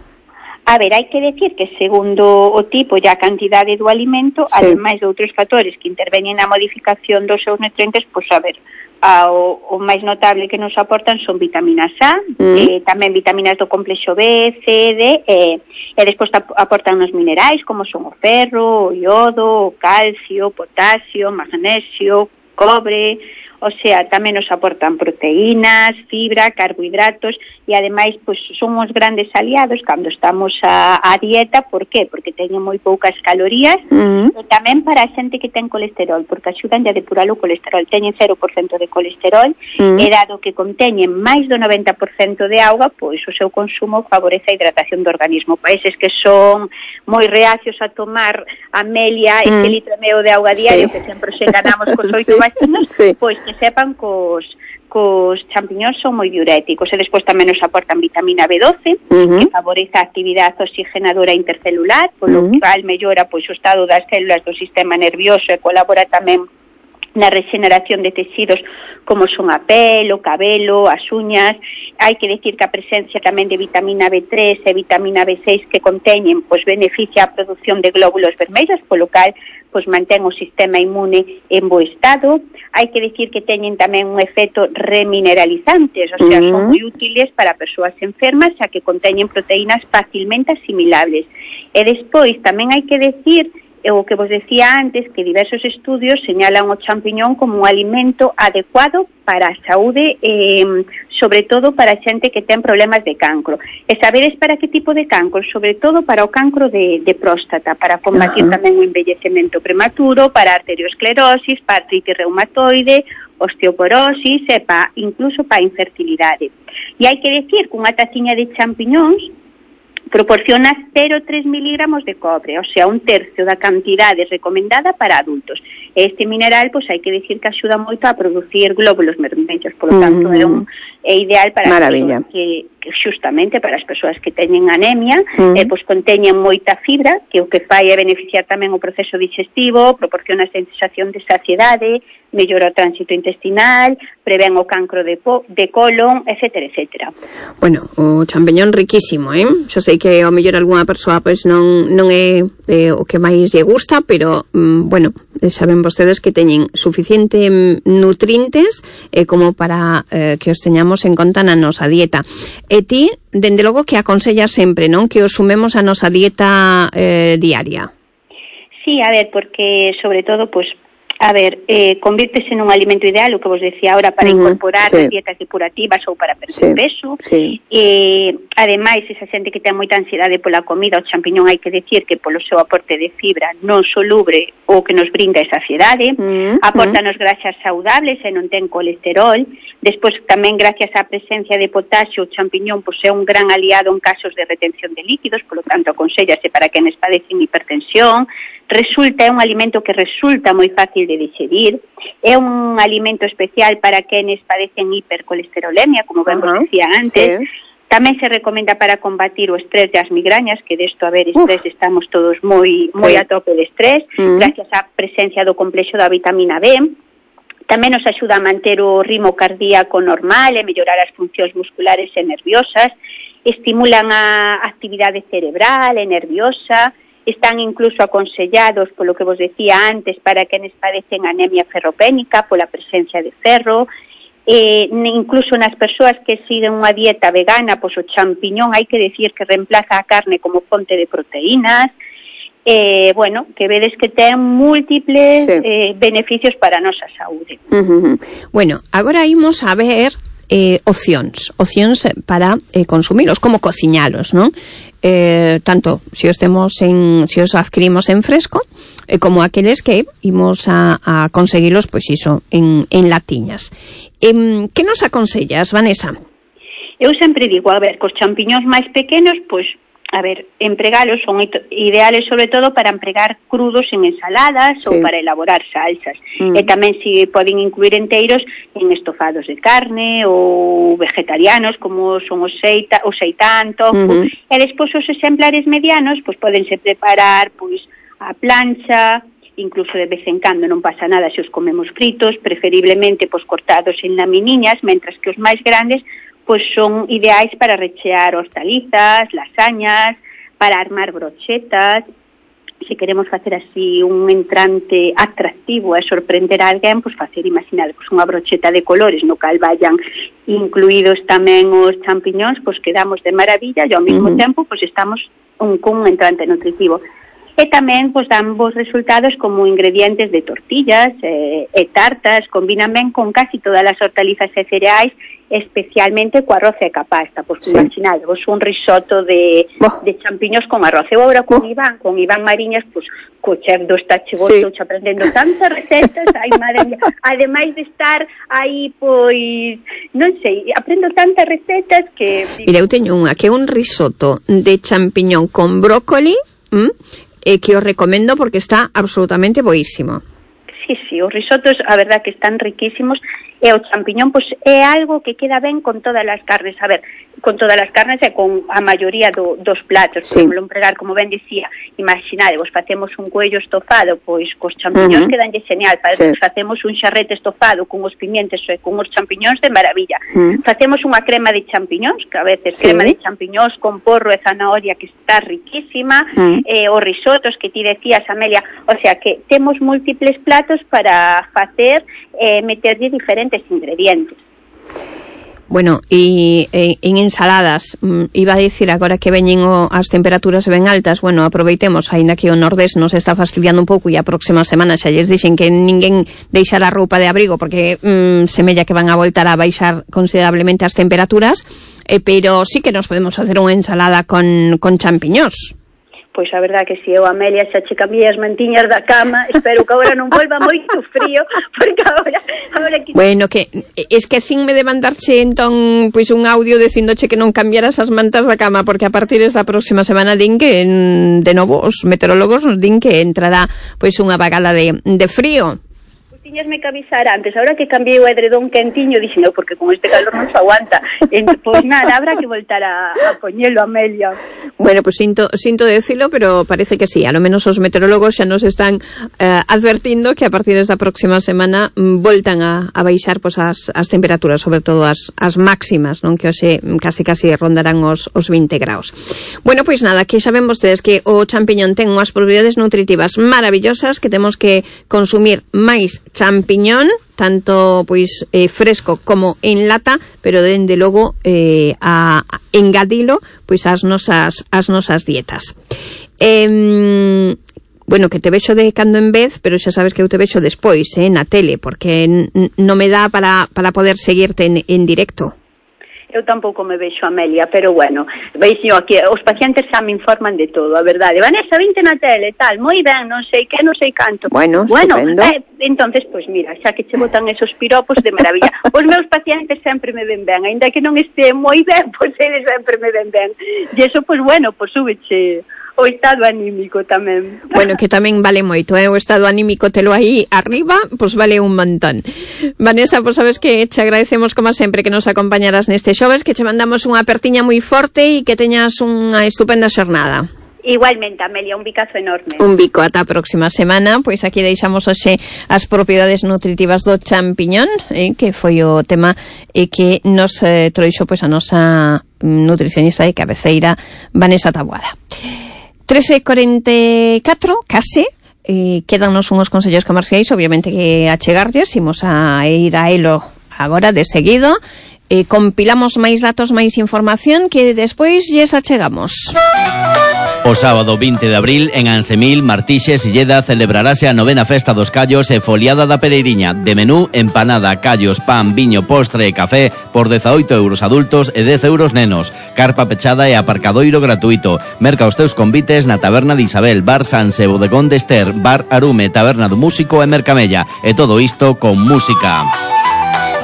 A ver, hai que decir que segundo o tipo e a cantidade do alimento, sí, ademais de outros factores que interveñen na modificación dos seus nutrientes, pois a ver, ao, o máis notable que nos aportan son vitaminas A, mm. eh, tamén vitaminas do complexo B, C, D, e, e despois aportan os minerais como son o ferro, o iodo, o calcio, o potasio, o magnesio, cobre, o sea, tamén nos aportan proteínas, fibra, carbohidratos e ademais pois son os grandes aliados cando estamos a, a dieta. Por qué? Porque teñen moi poucas calorías mm. e tamén para a xente que ten colesterol, porque axudan a depurar o colesterol. Teñen cero por cento de colesterol mm. e dado que conteñen máis do noventa por cento de auga, pois o seu consumo favorece a hidratación do organismo. Países que son moi reacios a tomar a melia mm. este litro e medio de auga diario, sí. que sempre se ganamos cos oito sí. vacinos, sí. pois que sepan cos cos champiñóns son moi diuréticos e despois tamén nos aportan vitamina B doce, uh-huh. que favorece a actividade oxigenadora intercelular, polo uh-huh. cual mellora pois o estado das células do sistema nervioso e colabora tamén na regeneración de tecidos como son a pel, o cabelo, as uñas. Hai que decir que a presencia tamén de vitamina B tres e vitamina B seis que conteñen pois beneficia a produción de glóbulos vermellos, polo cal pois mantén o sistema inmune en bo estado. Hai que decir que teñen tamén un efecto remineralizantes, o sea, uh-huh. son moi útiles para persoas enfermas, xa que conteñen proteínas facilmente asimilables. E despois tamén hai que decir o que vos decía antes, que diversos estudios señalan o champiñón como un alimento adecuado para a saúde, eh, sobre todo para a xente que ten problemas de cancro. E sabedes para que tipo de cancro? Sobre todo para o cancro de, de próstata, para combatir uh-huh. tamén o envellecemento prematuro, para arteriosclerosis, para artritis reumatoide, osteoporosis e pa, incluso para a infertilidade. E hai que decir que unha taciña de champiñóns proporciona cero coma tres miligramos de cobre, o sea, un tercio da cantidade recomendada para adultos. Este mineral, pois hai que decir que axuda moito a producir glóbulos vermellos, por lo tanto, mm. é, un, é ideal para Maravilla. as persoas que, que justamente para as persoas que teñen anemia, mm. eh, pois conteñen moita fibra, que o que fai é beneficiar tamén o proceso digestivo, proporciona a sensación de saciedade, mellora o tránsito intestinal, prevén o cancro de, po, de colon, etcétera, etcétera. Bueno, o champiñón riquísimo, eh? Xo sei que ao mellor algunha persoa pois non non é eh, o que máis lle gusta, pero mm, bueno, saben vostedes que teñen suficiente nutrientes eh, como para eh, que os teñamos en conta na nosa dieta. E ti, dende logo que aconsellas sempre, non? Que os sumemos a nosa dieta eh, diaria. Sí, a ver, porque sobre todo, pois, a ver, eh, convírtese nun alimento ideal, o que vos decía ahora, para uh-huh, incorporar sí. dietas depurativas ou para perder sí, peso. Sí. Eh, ademais, esa xente que ten moita ansiedade pola comida, o champiñón hai que decir que polo seu aporte de fibra non soluble o que nos brinda esa saciedade, uh-huh, aportanos uh-huh. grasas saudables e non ten colesterol. Despois, tamén, gracias á presencia de potasio, o champiñón pois, é un gran aliado en casos de retención de líquidos, polo tanto, aconsellase para quenes padecen hipertensión. Resulta, é un alimento que resulta moi fácil de digerir, é un alimento especial para quenes padecen hipercolesterolemia, como ben uh-huh. vos decía antes. Sí. Tamén se recomenda para combatir o estrés e as migrañas, que desto, a ver, estrés, Uf. estamos todos moi moi sí. a tope de estrés, uh-huh. gracias á presencia do complexo da vitamina B. Tamén nos axuda a manter o ritmo cardíaco normal e mellorar as funcións musculares e nerviosas, estimulan a actividade cerebral e nerviosa. Están incluso aconsellados, polo que vos decía antes, para quenes padecen anemia ferropénica, pola presencia de ferro. Eh, incluso nas persoas que siguen unha dieta vegana, pois o champiñón hai que decir que reemplaza a carne como fonte de proteínas. Eh, bueno, que vedes que ten múltiples sí. eh, beneficios para a nosa saúde. Uh-huh. Bueno, agora imos a ver eh, opcións, opcións para eh, consumilos, como cociñalos, non? Eh, tanto se os temos en, se os adquirimos en fresco, eh, como aqueles que imos a, a conseguilos, pois iso, en, en latiñas. Eh, que nos aconsellas, Vanessa? Eu sempre digo, a ver, cos champiñóns máis pequenos, pois, a ver, empregalos son ideales sobre todo para empregar crudos en ensaladas sí. ou para elaborar salsas. Mm. E tamén se poden incluir enteiros en estofados de carne ou vegetarianos, como son os, seita, o seitán, tofu. Mm-hmm. E despois os exemplares medianos, pois podense preparar pois a plancha, incluso de vez en cando non pasa nada se os comemos fritos, preferiblemente pois cortados en laminiñas, mentras que os máis grandes pois son ideais para rechear hortalizas, lasañas, para armar brochetas. se queremos facer así un entrante atractivo e sorprender a alguén, pois facer, imaginade, pois unha brocheta de colores no cal vayan incluídos tamén os champiñóns, pois quedamos de maravilla e ao mesmo uh-huh. tempo pois estamos un, con un entrante nutritivo. E tamén pois dan bons resultados como ingredientes de tortillas e, e tartas, combinan ben con casi todas as hortalizas e cereais, especialmente co arroz e ca pasta. Pois sí. Imaginade, vos un risotto de, oh. de champiños con arroz. Eu agora con oh. Iván, con Iván Mariñas, pois co chef do Estachegosto, sí. aprendendo tantas recetas, ai madre mía, ademais de estar aí, pois, non sei, aprendo tantas recetas que... Mira, eu teño unha, que é un risotto de champiñón con brócoli, ¿m? E que os recomendo porque está absolutamente boísimo. Sí, sí, os risotos, a verdad que están riquísimos, e o champiñón, pois, é algo que queda ben con todas as carnes, a ver, con todas as carnes e con a maioría do, dos platos, sí. Por empregar, como ben dicía, imaginade, vos facemos un cuello estofado, pois, cos champiñóns uh-huh. quedanlle genial, para sí. Facemos un xarrete estofado con os pimientos e con os champiñóns de maravilla, uh-huh. Facemos unha crema de champiñóns, que a veces sí. Crema de champiñóns con porro e zanahoria que está riquísima, uh-huh. eh, os risotos que ti decías, Amelia, o sea que temos múltiples platos para facer, eh, meterlle diferentes ingredientes. Bueno, e, e en ensaladas, mm, iba a dicir agora que veñen o, as temperaturas ben altas, bueno, aproveitemos, aínda que o nordés nos está fastidiando un pouco e a próxima semana xa lles dixen que ninguén deixar a roupa de abrigo porque mm, semella que van a voltar a baixar considerablemente as temperaturas, eh, pero sí que nos podemos facer unha ensalada con, con champiñós. Pois a verdad que si eu, Amelia, xa che cambiei as mantiñas da cama, espero que agora non volva moito frío, porque agora... agora que... Bueno, que esquecinme de mandarche entón pois un audio dicindoche que non cambiaras as mantas da cama, porque a partir desta próxima semana din que, en, de novo, os meteorólogos nos din que entrará pois unha vagada de, de frío. Tiñasme que avisar antes, ahora que cambiei o edredón quentiño, dixen eu, porque con este calor non se aguanta. Pois pues nada, habrá que voltar a, a poñelo, Amelia. Bueno, pues sinto, sinto decirlo, pero parece que sí, a lo menos os meteorólogos xa nos están eh, advertindo que a partir desta próxima semana mm, voltan a, a baixar pues, as, as temperaturas, sobre todo as, as máximas, non, que hoxe casi casi rondarán os, os vinte graus. Bueno, pois pues nada, que saben vostedes que o champiñón ten unhas propiedades nutritivas maravillosas, que temos que consumir máis champiñón, tanto pois eh, fresco como en lata, pero dende logo eh, a, a engadilo pois ás nosas as nosas dietas. Eh, bueno, que te vexo de cando en vez, pero xa sabes que eu te vexo despois, eh, na tele, porque n- non me dá para para poder seguirte en, en directo. Eu tampouco me vexo, Amelia, pero bueno, veixo aquí, os pacientes xa me informan de todo, a verdade. Vanessa, vinte na tele, tal, moi ben, non sei que, non sei canto. Bueno, bueno eh, entonces, pois mira, xa que che botan esos piropos de maravilla. Os meus pacientes sempre me ven ben, aínda que non este moi ben, pois eles sempre me ven ben. E iso, pois bueno, pois súbeche o estado anímico tamén. Bueno, que tamén vale moito, eh? O estado anímico telo aí arriba, pois vale un montón. Vanessa, pois sabes que te agradecemos como sempre que nos acompañaras neste xoves, que te mandamos unha apertiña moi forte e que teñas unha estupenda xornada. Igualmente, Amelia, un bicazo enorme. Un bico, ata a próxima semana. Pois aquí deixamos hoxe as propiedades nutritivas do champiñón, eh, que foi o tema e que nos eh, trouxo pois a nosa nutricionista de cabeceira, Vanessa Taboada. trece cuarenta e catro, case, eh, quedanos unhos consellos comerciais, obviamente que achegarlles, imos a ir a elo agora de seguido, eh, compilamos máis datos, máis información que despois lles achegamos. O sábado vinte de abril, en Ansemil, Martixes, Silleda, celebrarase a novena festa dos callos e foliada da Pereiriña. De menú, empanada, callos, pan, viño, postre e café por dezaoito euros adultos e dez euros nenos. Carpa pechada e aparcadoiro gratuito. Merca os teus convites na Taberna de Isabel, Bar Sanse, Bodegón de Ester, Bar Arume, Taberna do Músico e Mercamella. E todo isto con música.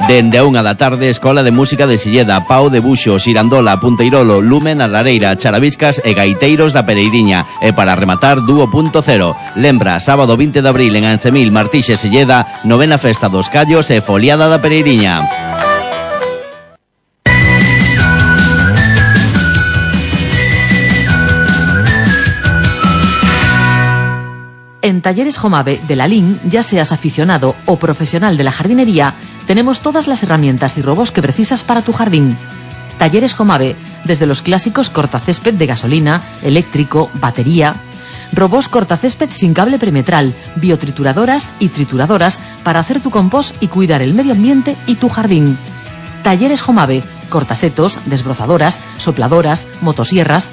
Dende a unha da tarde, Escola de Música de Silleda, Pau de Buxo, Xirandola, Punteirolo, Lumen, a Lareira, Charaviscas e Gaiteiros da Pereiriña. E para rematar, Dúo punto cero. Lembra, sábado vinte de abril en Ansemil, Martixes, Silleda, novena festa dos callos e foliada da Pereiriña. En Talleres Jomave de la Lin, ya seas aficionado o profesional de la jardinería, tenemos todas las herramientas y robos que precisas para tu jardín. Talleres Jomave, desde los clásicos cortacésped de gasolina, eléctrico, batería. robots cortacésped sin cable perimetral, biotrituradoras y trituradoras para hacer tu compost y cuidar el medio ambiente y tu jardín. Talleres Jomave, cortasetos, desbrozadoras, sopladoras, motosierras.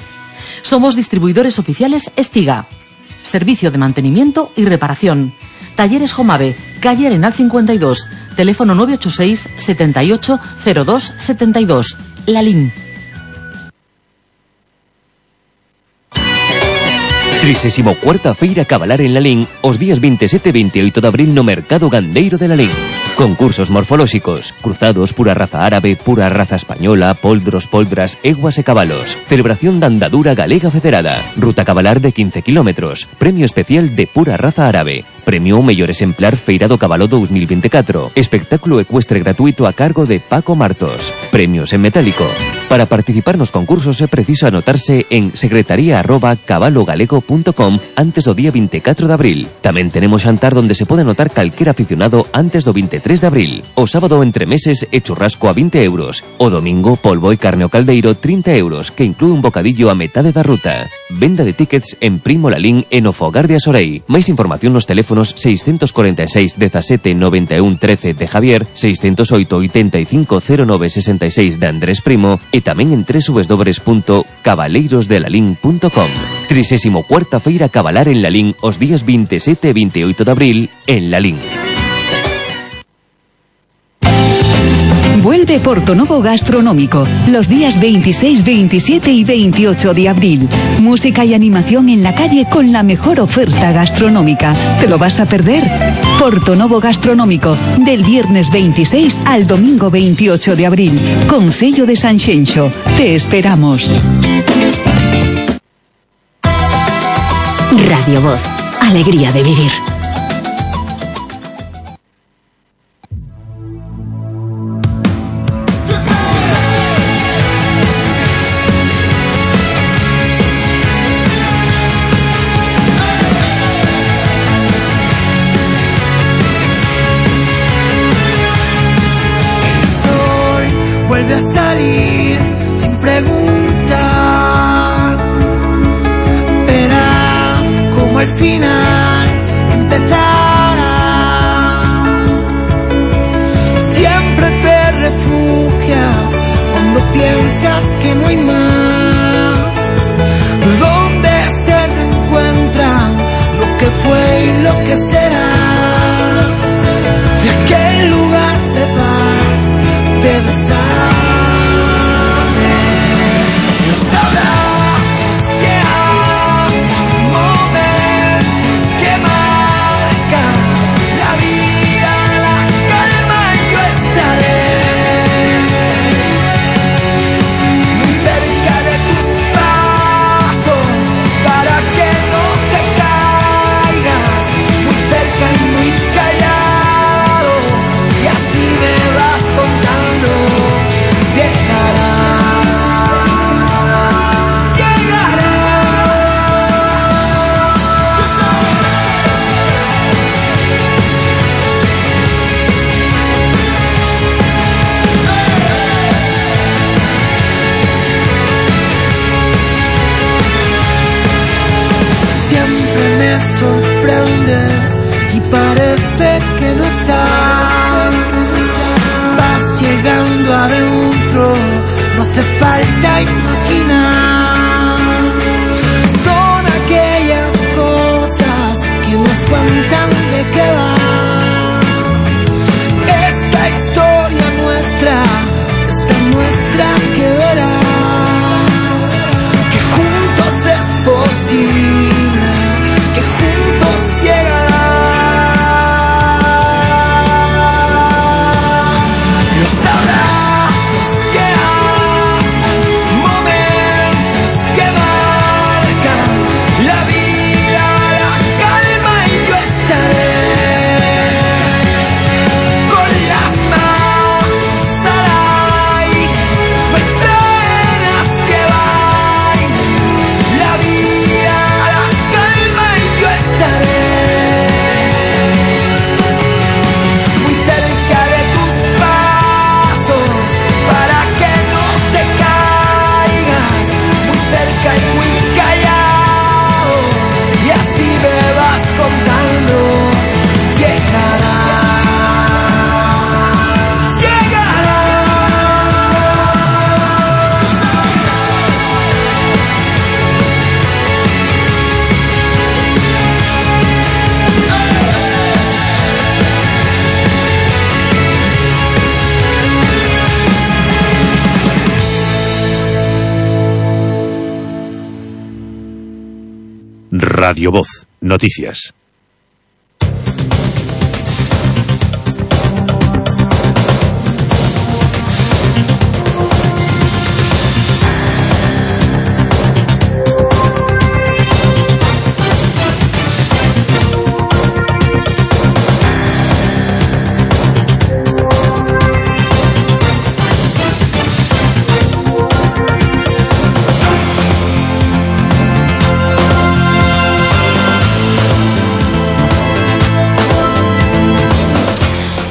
Somos distribuidores oficiales Estiga. Servicio de mantenimiento y reparación. Talleres Jomave, calle Arenal cincuenta y dos, teléfono nueve ocho seis, setenta y ocho, cero dos, setenta y dos. Lalín. trisésimo cuarta Feira Cabalar en Lalín os días veintisiete e veintiocho de abril no Mercado Gandeiro de Lalín. Concursos morfolóxicos, cruzados, pura raza árabe, pura raza española, poldros, poldras, eguas e cabalos. Celebración da andadura galega federada. Ruta cabalar de quince kilómetros. Premio especial de pura raza árabe. Premio mellor exemplar Feira do Cabalo dos mil veinticuatro. Espectáculo ecuestre gratuito a cargo de Paco Martos. Premios en metálico. Para participar nos concursos é preciso anotarse en secretaría arroba cabalogalego punto com antes do día veinticuatro de abril. Tamén tenemos xantar donde se pode anotar calquer aficionado antes do veintitrés de abril. O sábado entre meses e churrasco a vinte euros. O domingo polvo e carne ao caldeiro trinta euros, que inclúe un bocadillo a metade da ruta. Venda de tickets en Primo Lalín e no Fogar de Asorei. Máis información nos teléfonos seiscentos cuarenta e seis, dezasete, noventa e un, trece de Javier, seiscentos oito, oitenta e cinco, cero nove, sesenta e seis de Andrés Primo e tamén en doble u doble u doble u punto cabaleirosdelalín punto com. trisésimo cuarta Feira Cabalar en Lalín os días veintisiete e veintiocho de abril en Lalín. Vuelve Portonovo Gastronómico los días veintiséis, veintisiete y veintiocho de abril. Música y animación en la calle con la mejor oferta gastronómica. ¿Te lo vas a perder? Portonovo Gastronómico, del viernes veintiséis al domingo veintiocho de abril. Concello de Sanxenxo. Te esperamos. Radio Voz. Alegría de vivir. Vuelve a salir sin preguntar. Verás como al final empezará. Siempre te refugias cuando piensas que no hay más. Donde se reencuentran lo que fue y lo que será. De aquel lugar de paz te besar. Sorprendes y parece que no estás. Vas llegando adentro, no hace falta imaginar. Son aquellas cosas que nos cuentan de qué va esta historia nuestra, esta nuestra que verás que juntos es posible, que juntos llegarán. Radio Voz, noticias.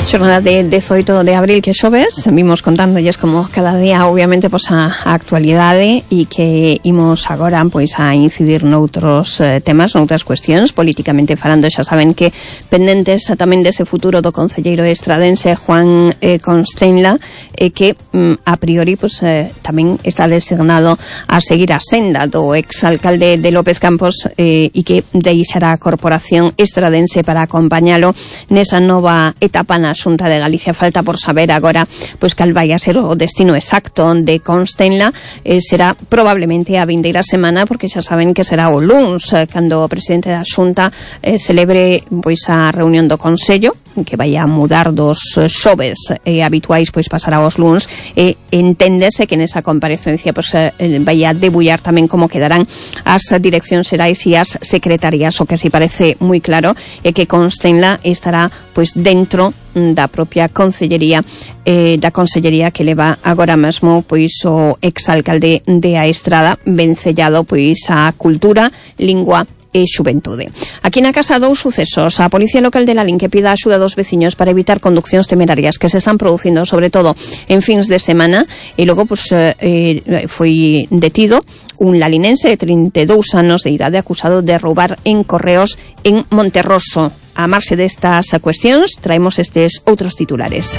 Xornada de dezoito de abril que xoves, vimos contándolles como cada día obviamente pois a, a actualidade e que imos agora pois a incidir noutros eh, temas, noutras cuestións, políticamente falando. Xa saben que pendentes tamén dese futuro do concelleiro estradense Juan eh, Constenla, eh, que mm, a priori pois eh, tamén está designado a seguir a senda do exalcalde de López Campos eh, e que deixará a corporación estradense para acompañalo nesa nova etapa na Xunta de Galicia. Falta por saber agora pois cal vai a ser o destino exacto de Constenla. Eh, será probablemente a vindeira semana, porque xa saben que será o luns eh, cando o presidente da Xunta eh, celebre pois a reunión do Consello, que vai a mudar dos xoves eh, habituais, pois pasará aos luns, e eh, enténdese que nesa comparecencia pois eh, vai a debullar tamén como quedarán as direccións xerais e as secretarías. O que si parece moi claro é que Constenla estará pois dentro da propia consellería eh, da consellería que leva agora mesmo pois o exalcalde de A Estrada, vencellado pois a cultura, lingua e xuventude. Aquí na casa dous sucesos. A Policía Local de Lalín que pida a axuda dos veciños para evitar conduccións temerarias que se están producindo sobre todo en fins de semana, e logo pues, eh, foi detido un lalinense de trinta e dous anos de idade acusado de roubar en correos en Monterroso. A marxe destas cuestións traemos estes outros titulares.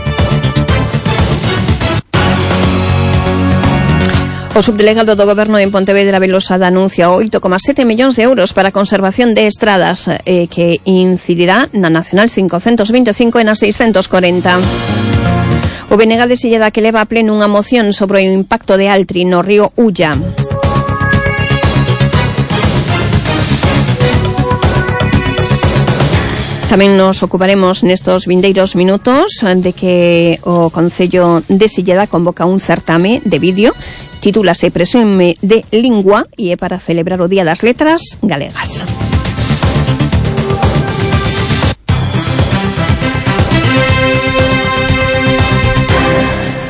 O subdelegado do Goberno en Pontevedra, Belosada, anuncia oito coma sete millóns de euros para a conservación de estradas eh, que incidirá na Nacional cincocentos vinte e cinco e na seiscentos corenta. O Benegal de Silleda que leva a pleno unha moción sobre o impacto de Altri no río Ulla. Tamén nos ocuparemos nestos vindeiros minutos de que o Concello de Silleda convoca un certame de vídeo, titúlase Presume de Lingua e é para celebrar o Día das Letras Galegas.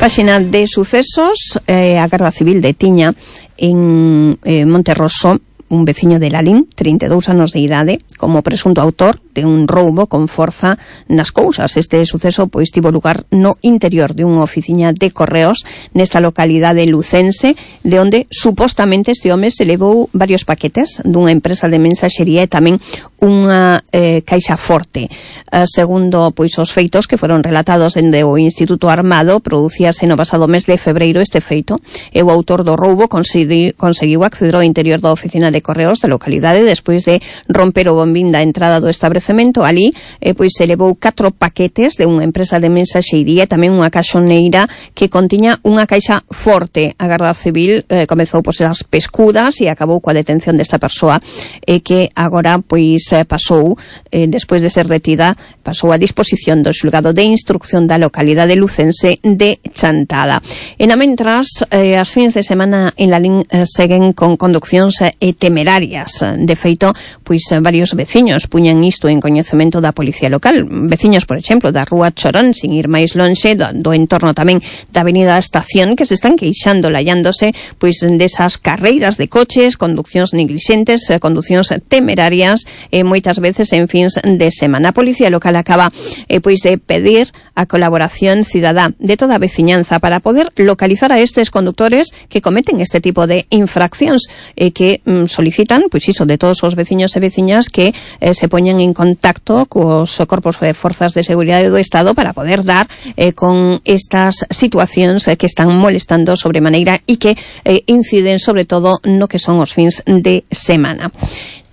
Páxina de sucesos, eh, a Garda Civil detiña en eh, Monterroso un veciño de Lalín, trinta e dous anos de idade, como presunto autor de un roubo con forza nas cousas. Este suceso pois tivo lugar no interior de unha oficina de correos nesta localidade lucense, de onde supostamente este home se levou varios paquetes dunha empresa de mensaxería e tamén unha eh, caixa forte. Eh, segundo pois os feitos que foron relatados dende o Instituto Armado, producíase no pasado mes de febreiro este feito, e o autor do roubo consegui, conseguiu acceder ao interior da oficina de correos da localidade despois de romper o bombín da entrada do establecemento. Ali eh, pois se levou catro paquetes de unha empresa de mensaxeiría e tamén unha caixoneira que contiña unha caixa forte. A Garda Civil eh, comezou por ser as pescudas e acabou coa detención desta persoa eh, que agora pois eh, pasou, eh, despois de ser detida, pasou a disposición do xulgado de instrucción da localidade lucense de Chantada. E na mentras, eh, as fins de semana en Lalín eh, seguen con conduccións eh, e temerarias. De feito, pois varios veciños puñan isto en coñecemento da Policía Local. Veciños, por exemplo, da Rúa Chorón, sin ir máis lonxe, do, do entorno tamén da Avenida Estación, que se están queixando, lallándose, pois desas carreiras de coches, conduccións neglixentes, conduccións temerarias, e moitas veces en fins de semana. A Policía Local acaba eh, pois de pedir a colaboración cidadá de toda a veciñanza para poder localizar a estes conductores que cometen este tipo de infraccións, e eh, que mm, solicitan, pois iso, de todos os veciños e veciñas que eh, se poñan en contacto cos corpos de forzas de seguridade do Estado para poder dar eh, con estas situacións eh, que están molestando sobremaneira e que eh, inciden sobre todo no que son os fins de semana.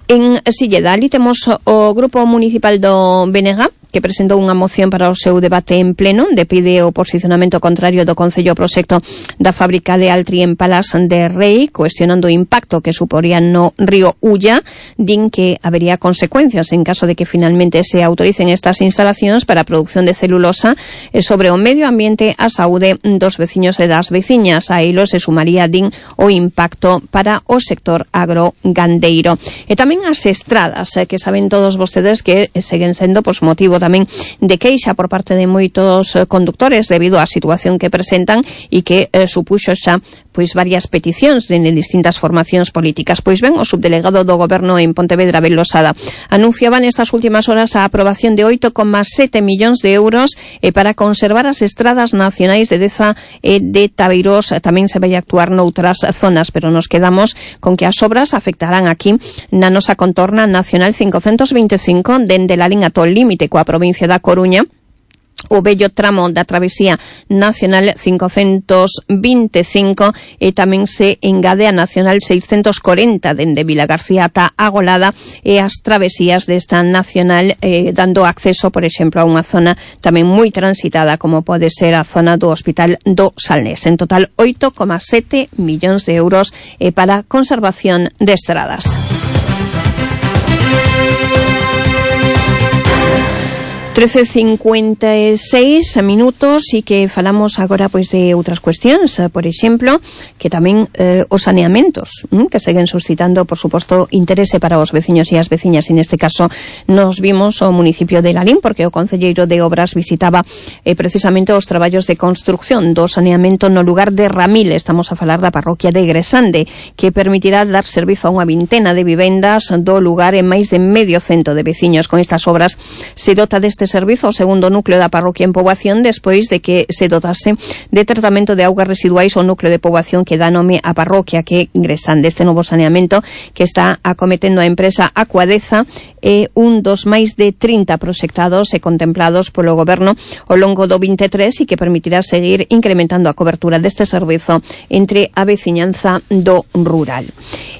En Silleda, ali temos o Grupo Municipal do B N G, que presentou unha moción para o seu debate en pleno, de pide o posicionamento contrario do Concello ao proxecto da fábrica de Altri en Palas de Rei, cuestionando o impacto que suporía no río Ulla. Din que habería consecuencias en caso de que finalmente se autoricen estas instalacións para a produción de celulosa sobre o medio ambiente, a saúde dos veciños e das veciñas. A ilo se sumaría, din, o impacto para o sector agrogandeiro. E tamén as estradas, que saben todos vostedes que seguen sendo pois motivo tamén de queixa por parte de moitos conductores debido á situación que presentan e que eh, supuxo xa pois varias peticións de distintas formacións políticas. Pois ben, o subdelegado do Goberno en Pontevedra, Abel Losada, anunciaba nestas últimas horas a aprobación de oito coma sete millóns de euros eh, para conservar as estradas nacionais de Deza e de Tabeirós. Tamén se vai actuar noutras zonas, pero nos quedamos con que as obras afectarán aquí na nosa contorna nacional cincocentos veinticinco dende la liña ata o límite coa provincia da Coruña, o bello tramo da travesía nacional cincocentos veinticinco e tamén se engade a nacional seiscentos corenta dende Vilagarcía ata Agolada e as travesías desta nacional eh, dando acceso, por exemplo, a unha zona tamén moi transitada como pode ser a zona do Hospital do Salnés. En total, oito coma sete millóns de euros eh, para conservación de estradas. trece cincuenta e seis minutos e que falamos agora pois de outras cuestións, por exemplo, que tamén eh, os saneamentos, hm, que seguen suscitando, por suposto, interese para os veciños e as veciñas, e neste caso nos vimos o municipio de Lalín, porque o concelleiro de Obras visitaba eh, precisamente os traballos de construcción do saneamento no lugar de Ramil. Estamos a falar da parroquia de Gresande, que permitirá dar servizo a unha vintena de vivendas do lugar e máis de medio cento de veciños. Con estas obras se dota deste servizo o segundo núcleo da parroquia en poboación despois de que se dotase de tratamento de augas residuais o núcleo de poboación que dá nome á parroquia, que é Gresande. Este novo saneamento que está acometendo a empresa Acuadeza é un dos máis de trinta proxectados e contemplados polo Goberno ao longo do veintitrés e que permitirá seguir incrementando a cobertura deste servizo entre a veciñanza do rural.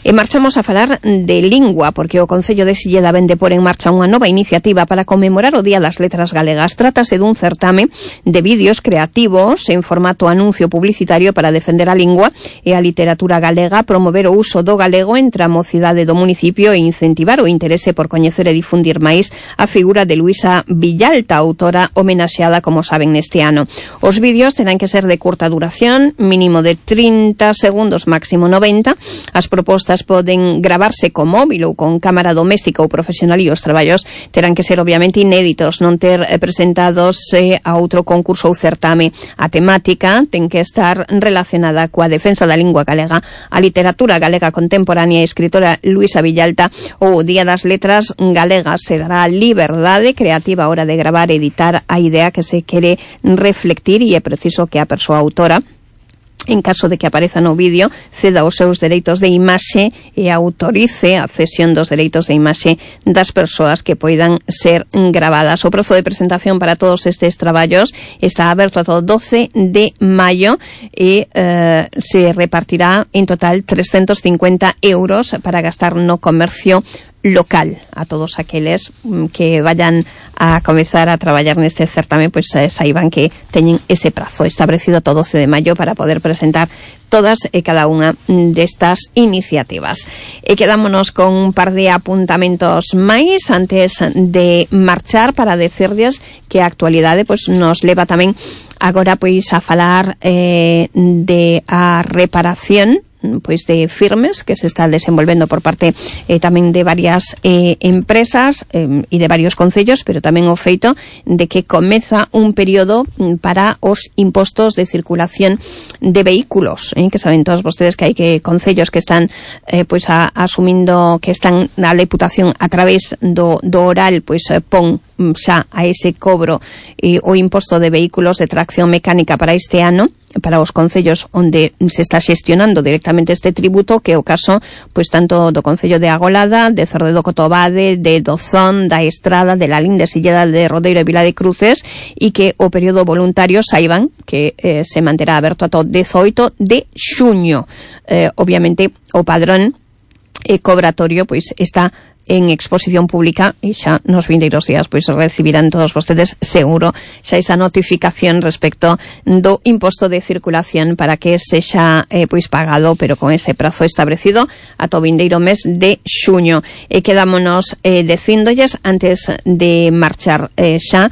E marchamos a falar de lingua, porque o Concello de Silleda vende por en marcha unha nova iniciativa para conmemorar o Día das Letras Galegas. Trátase dun certame de vídeos creativos en formato anuncio publicitario para defender a lingua e a literatura galega, promover o uso do galego entre a mocidade do municipio e incentivar o interese por coñecer e difundir máis a figura de Luisa Villalta, autora homenaxeada, como saben, neste ano. Os vídeos terán que ser de curta duración, mínimo de trinta segundos, máximo noventa. As propostas poden gravarse con móvil ou con cámara doméstica ou profesional e os traballos terán que ser obviamente inéditos, non ter eh, presentados eh, a outro concurso ou certame. A temática ten que estar relacionada coa defensa da lingua galega, a literatura galega contemporánea e a escritora Luisa Villalta. O Día das Letras Galegas se dará liberdade creativa a hora de gravar e editar a idea que se quere reflectir, e é preciso que a persoa autora, en caso de que apareza no vídeo, ceda os seus dereitos de imaxe e autorice a cesión dos dereitos de imaxe das persoas que poidan ser gravadas. O prazo de presentación para todos estes traballos está aberto ata o doce de maio e eh, se repartirá en total trescentos cincuenta euros para gastar no comercio local. A todos aqueles que vayan a comezar a traballar neste certame, pois pues, eh, saiban que teñen ese prazo establecido ata o doce de maio para poder presentar todas e cada unha destas iniciativas. E quedámonos con un par de apuntamentos máis antes de marchar para decirles que a actualidade pois nos leva tamén agora pois a falar eh, de a reparación pois de firmes que se está desenvolvendo por parte eh, tamén de varias eh, empresas eh, e de varios concellos, pero tamén o feito de que comeza un período para os impostos de circulación de vehículos, eh, que saben todos vostedes que hai que concellos que están eh, pois a, asumindo que están na Deputación a través do, do oral, pois eh, pon xa a ese cobro eh, o imposto de vehículos de tracción mecánica para este ano, para os concellos onde se está xestionando directamente este tributo, que é o caso pois tanto do Concello de Agolada, de Cerdedo Cotobade, de Dozón, da Estrada, de Lalín, de Silleda, de Rodeiro e Vila de Cruces, e que o período voluntario saiban que eh, se manterá aberto ata o dezoito de xuño. Eh, obviamente o padrón eh, cobratorio pois está en exposición pública e xa nos vindeiros días pois recibirán todos vostedes seguro xa esa notificación respecto do imposto de circulación para que sexa eh, pois pagado, pero con ese prazo establecido ata o vindeiro mes de xuño. E quedámonos eh, decíndolles antes de marchar eh, xa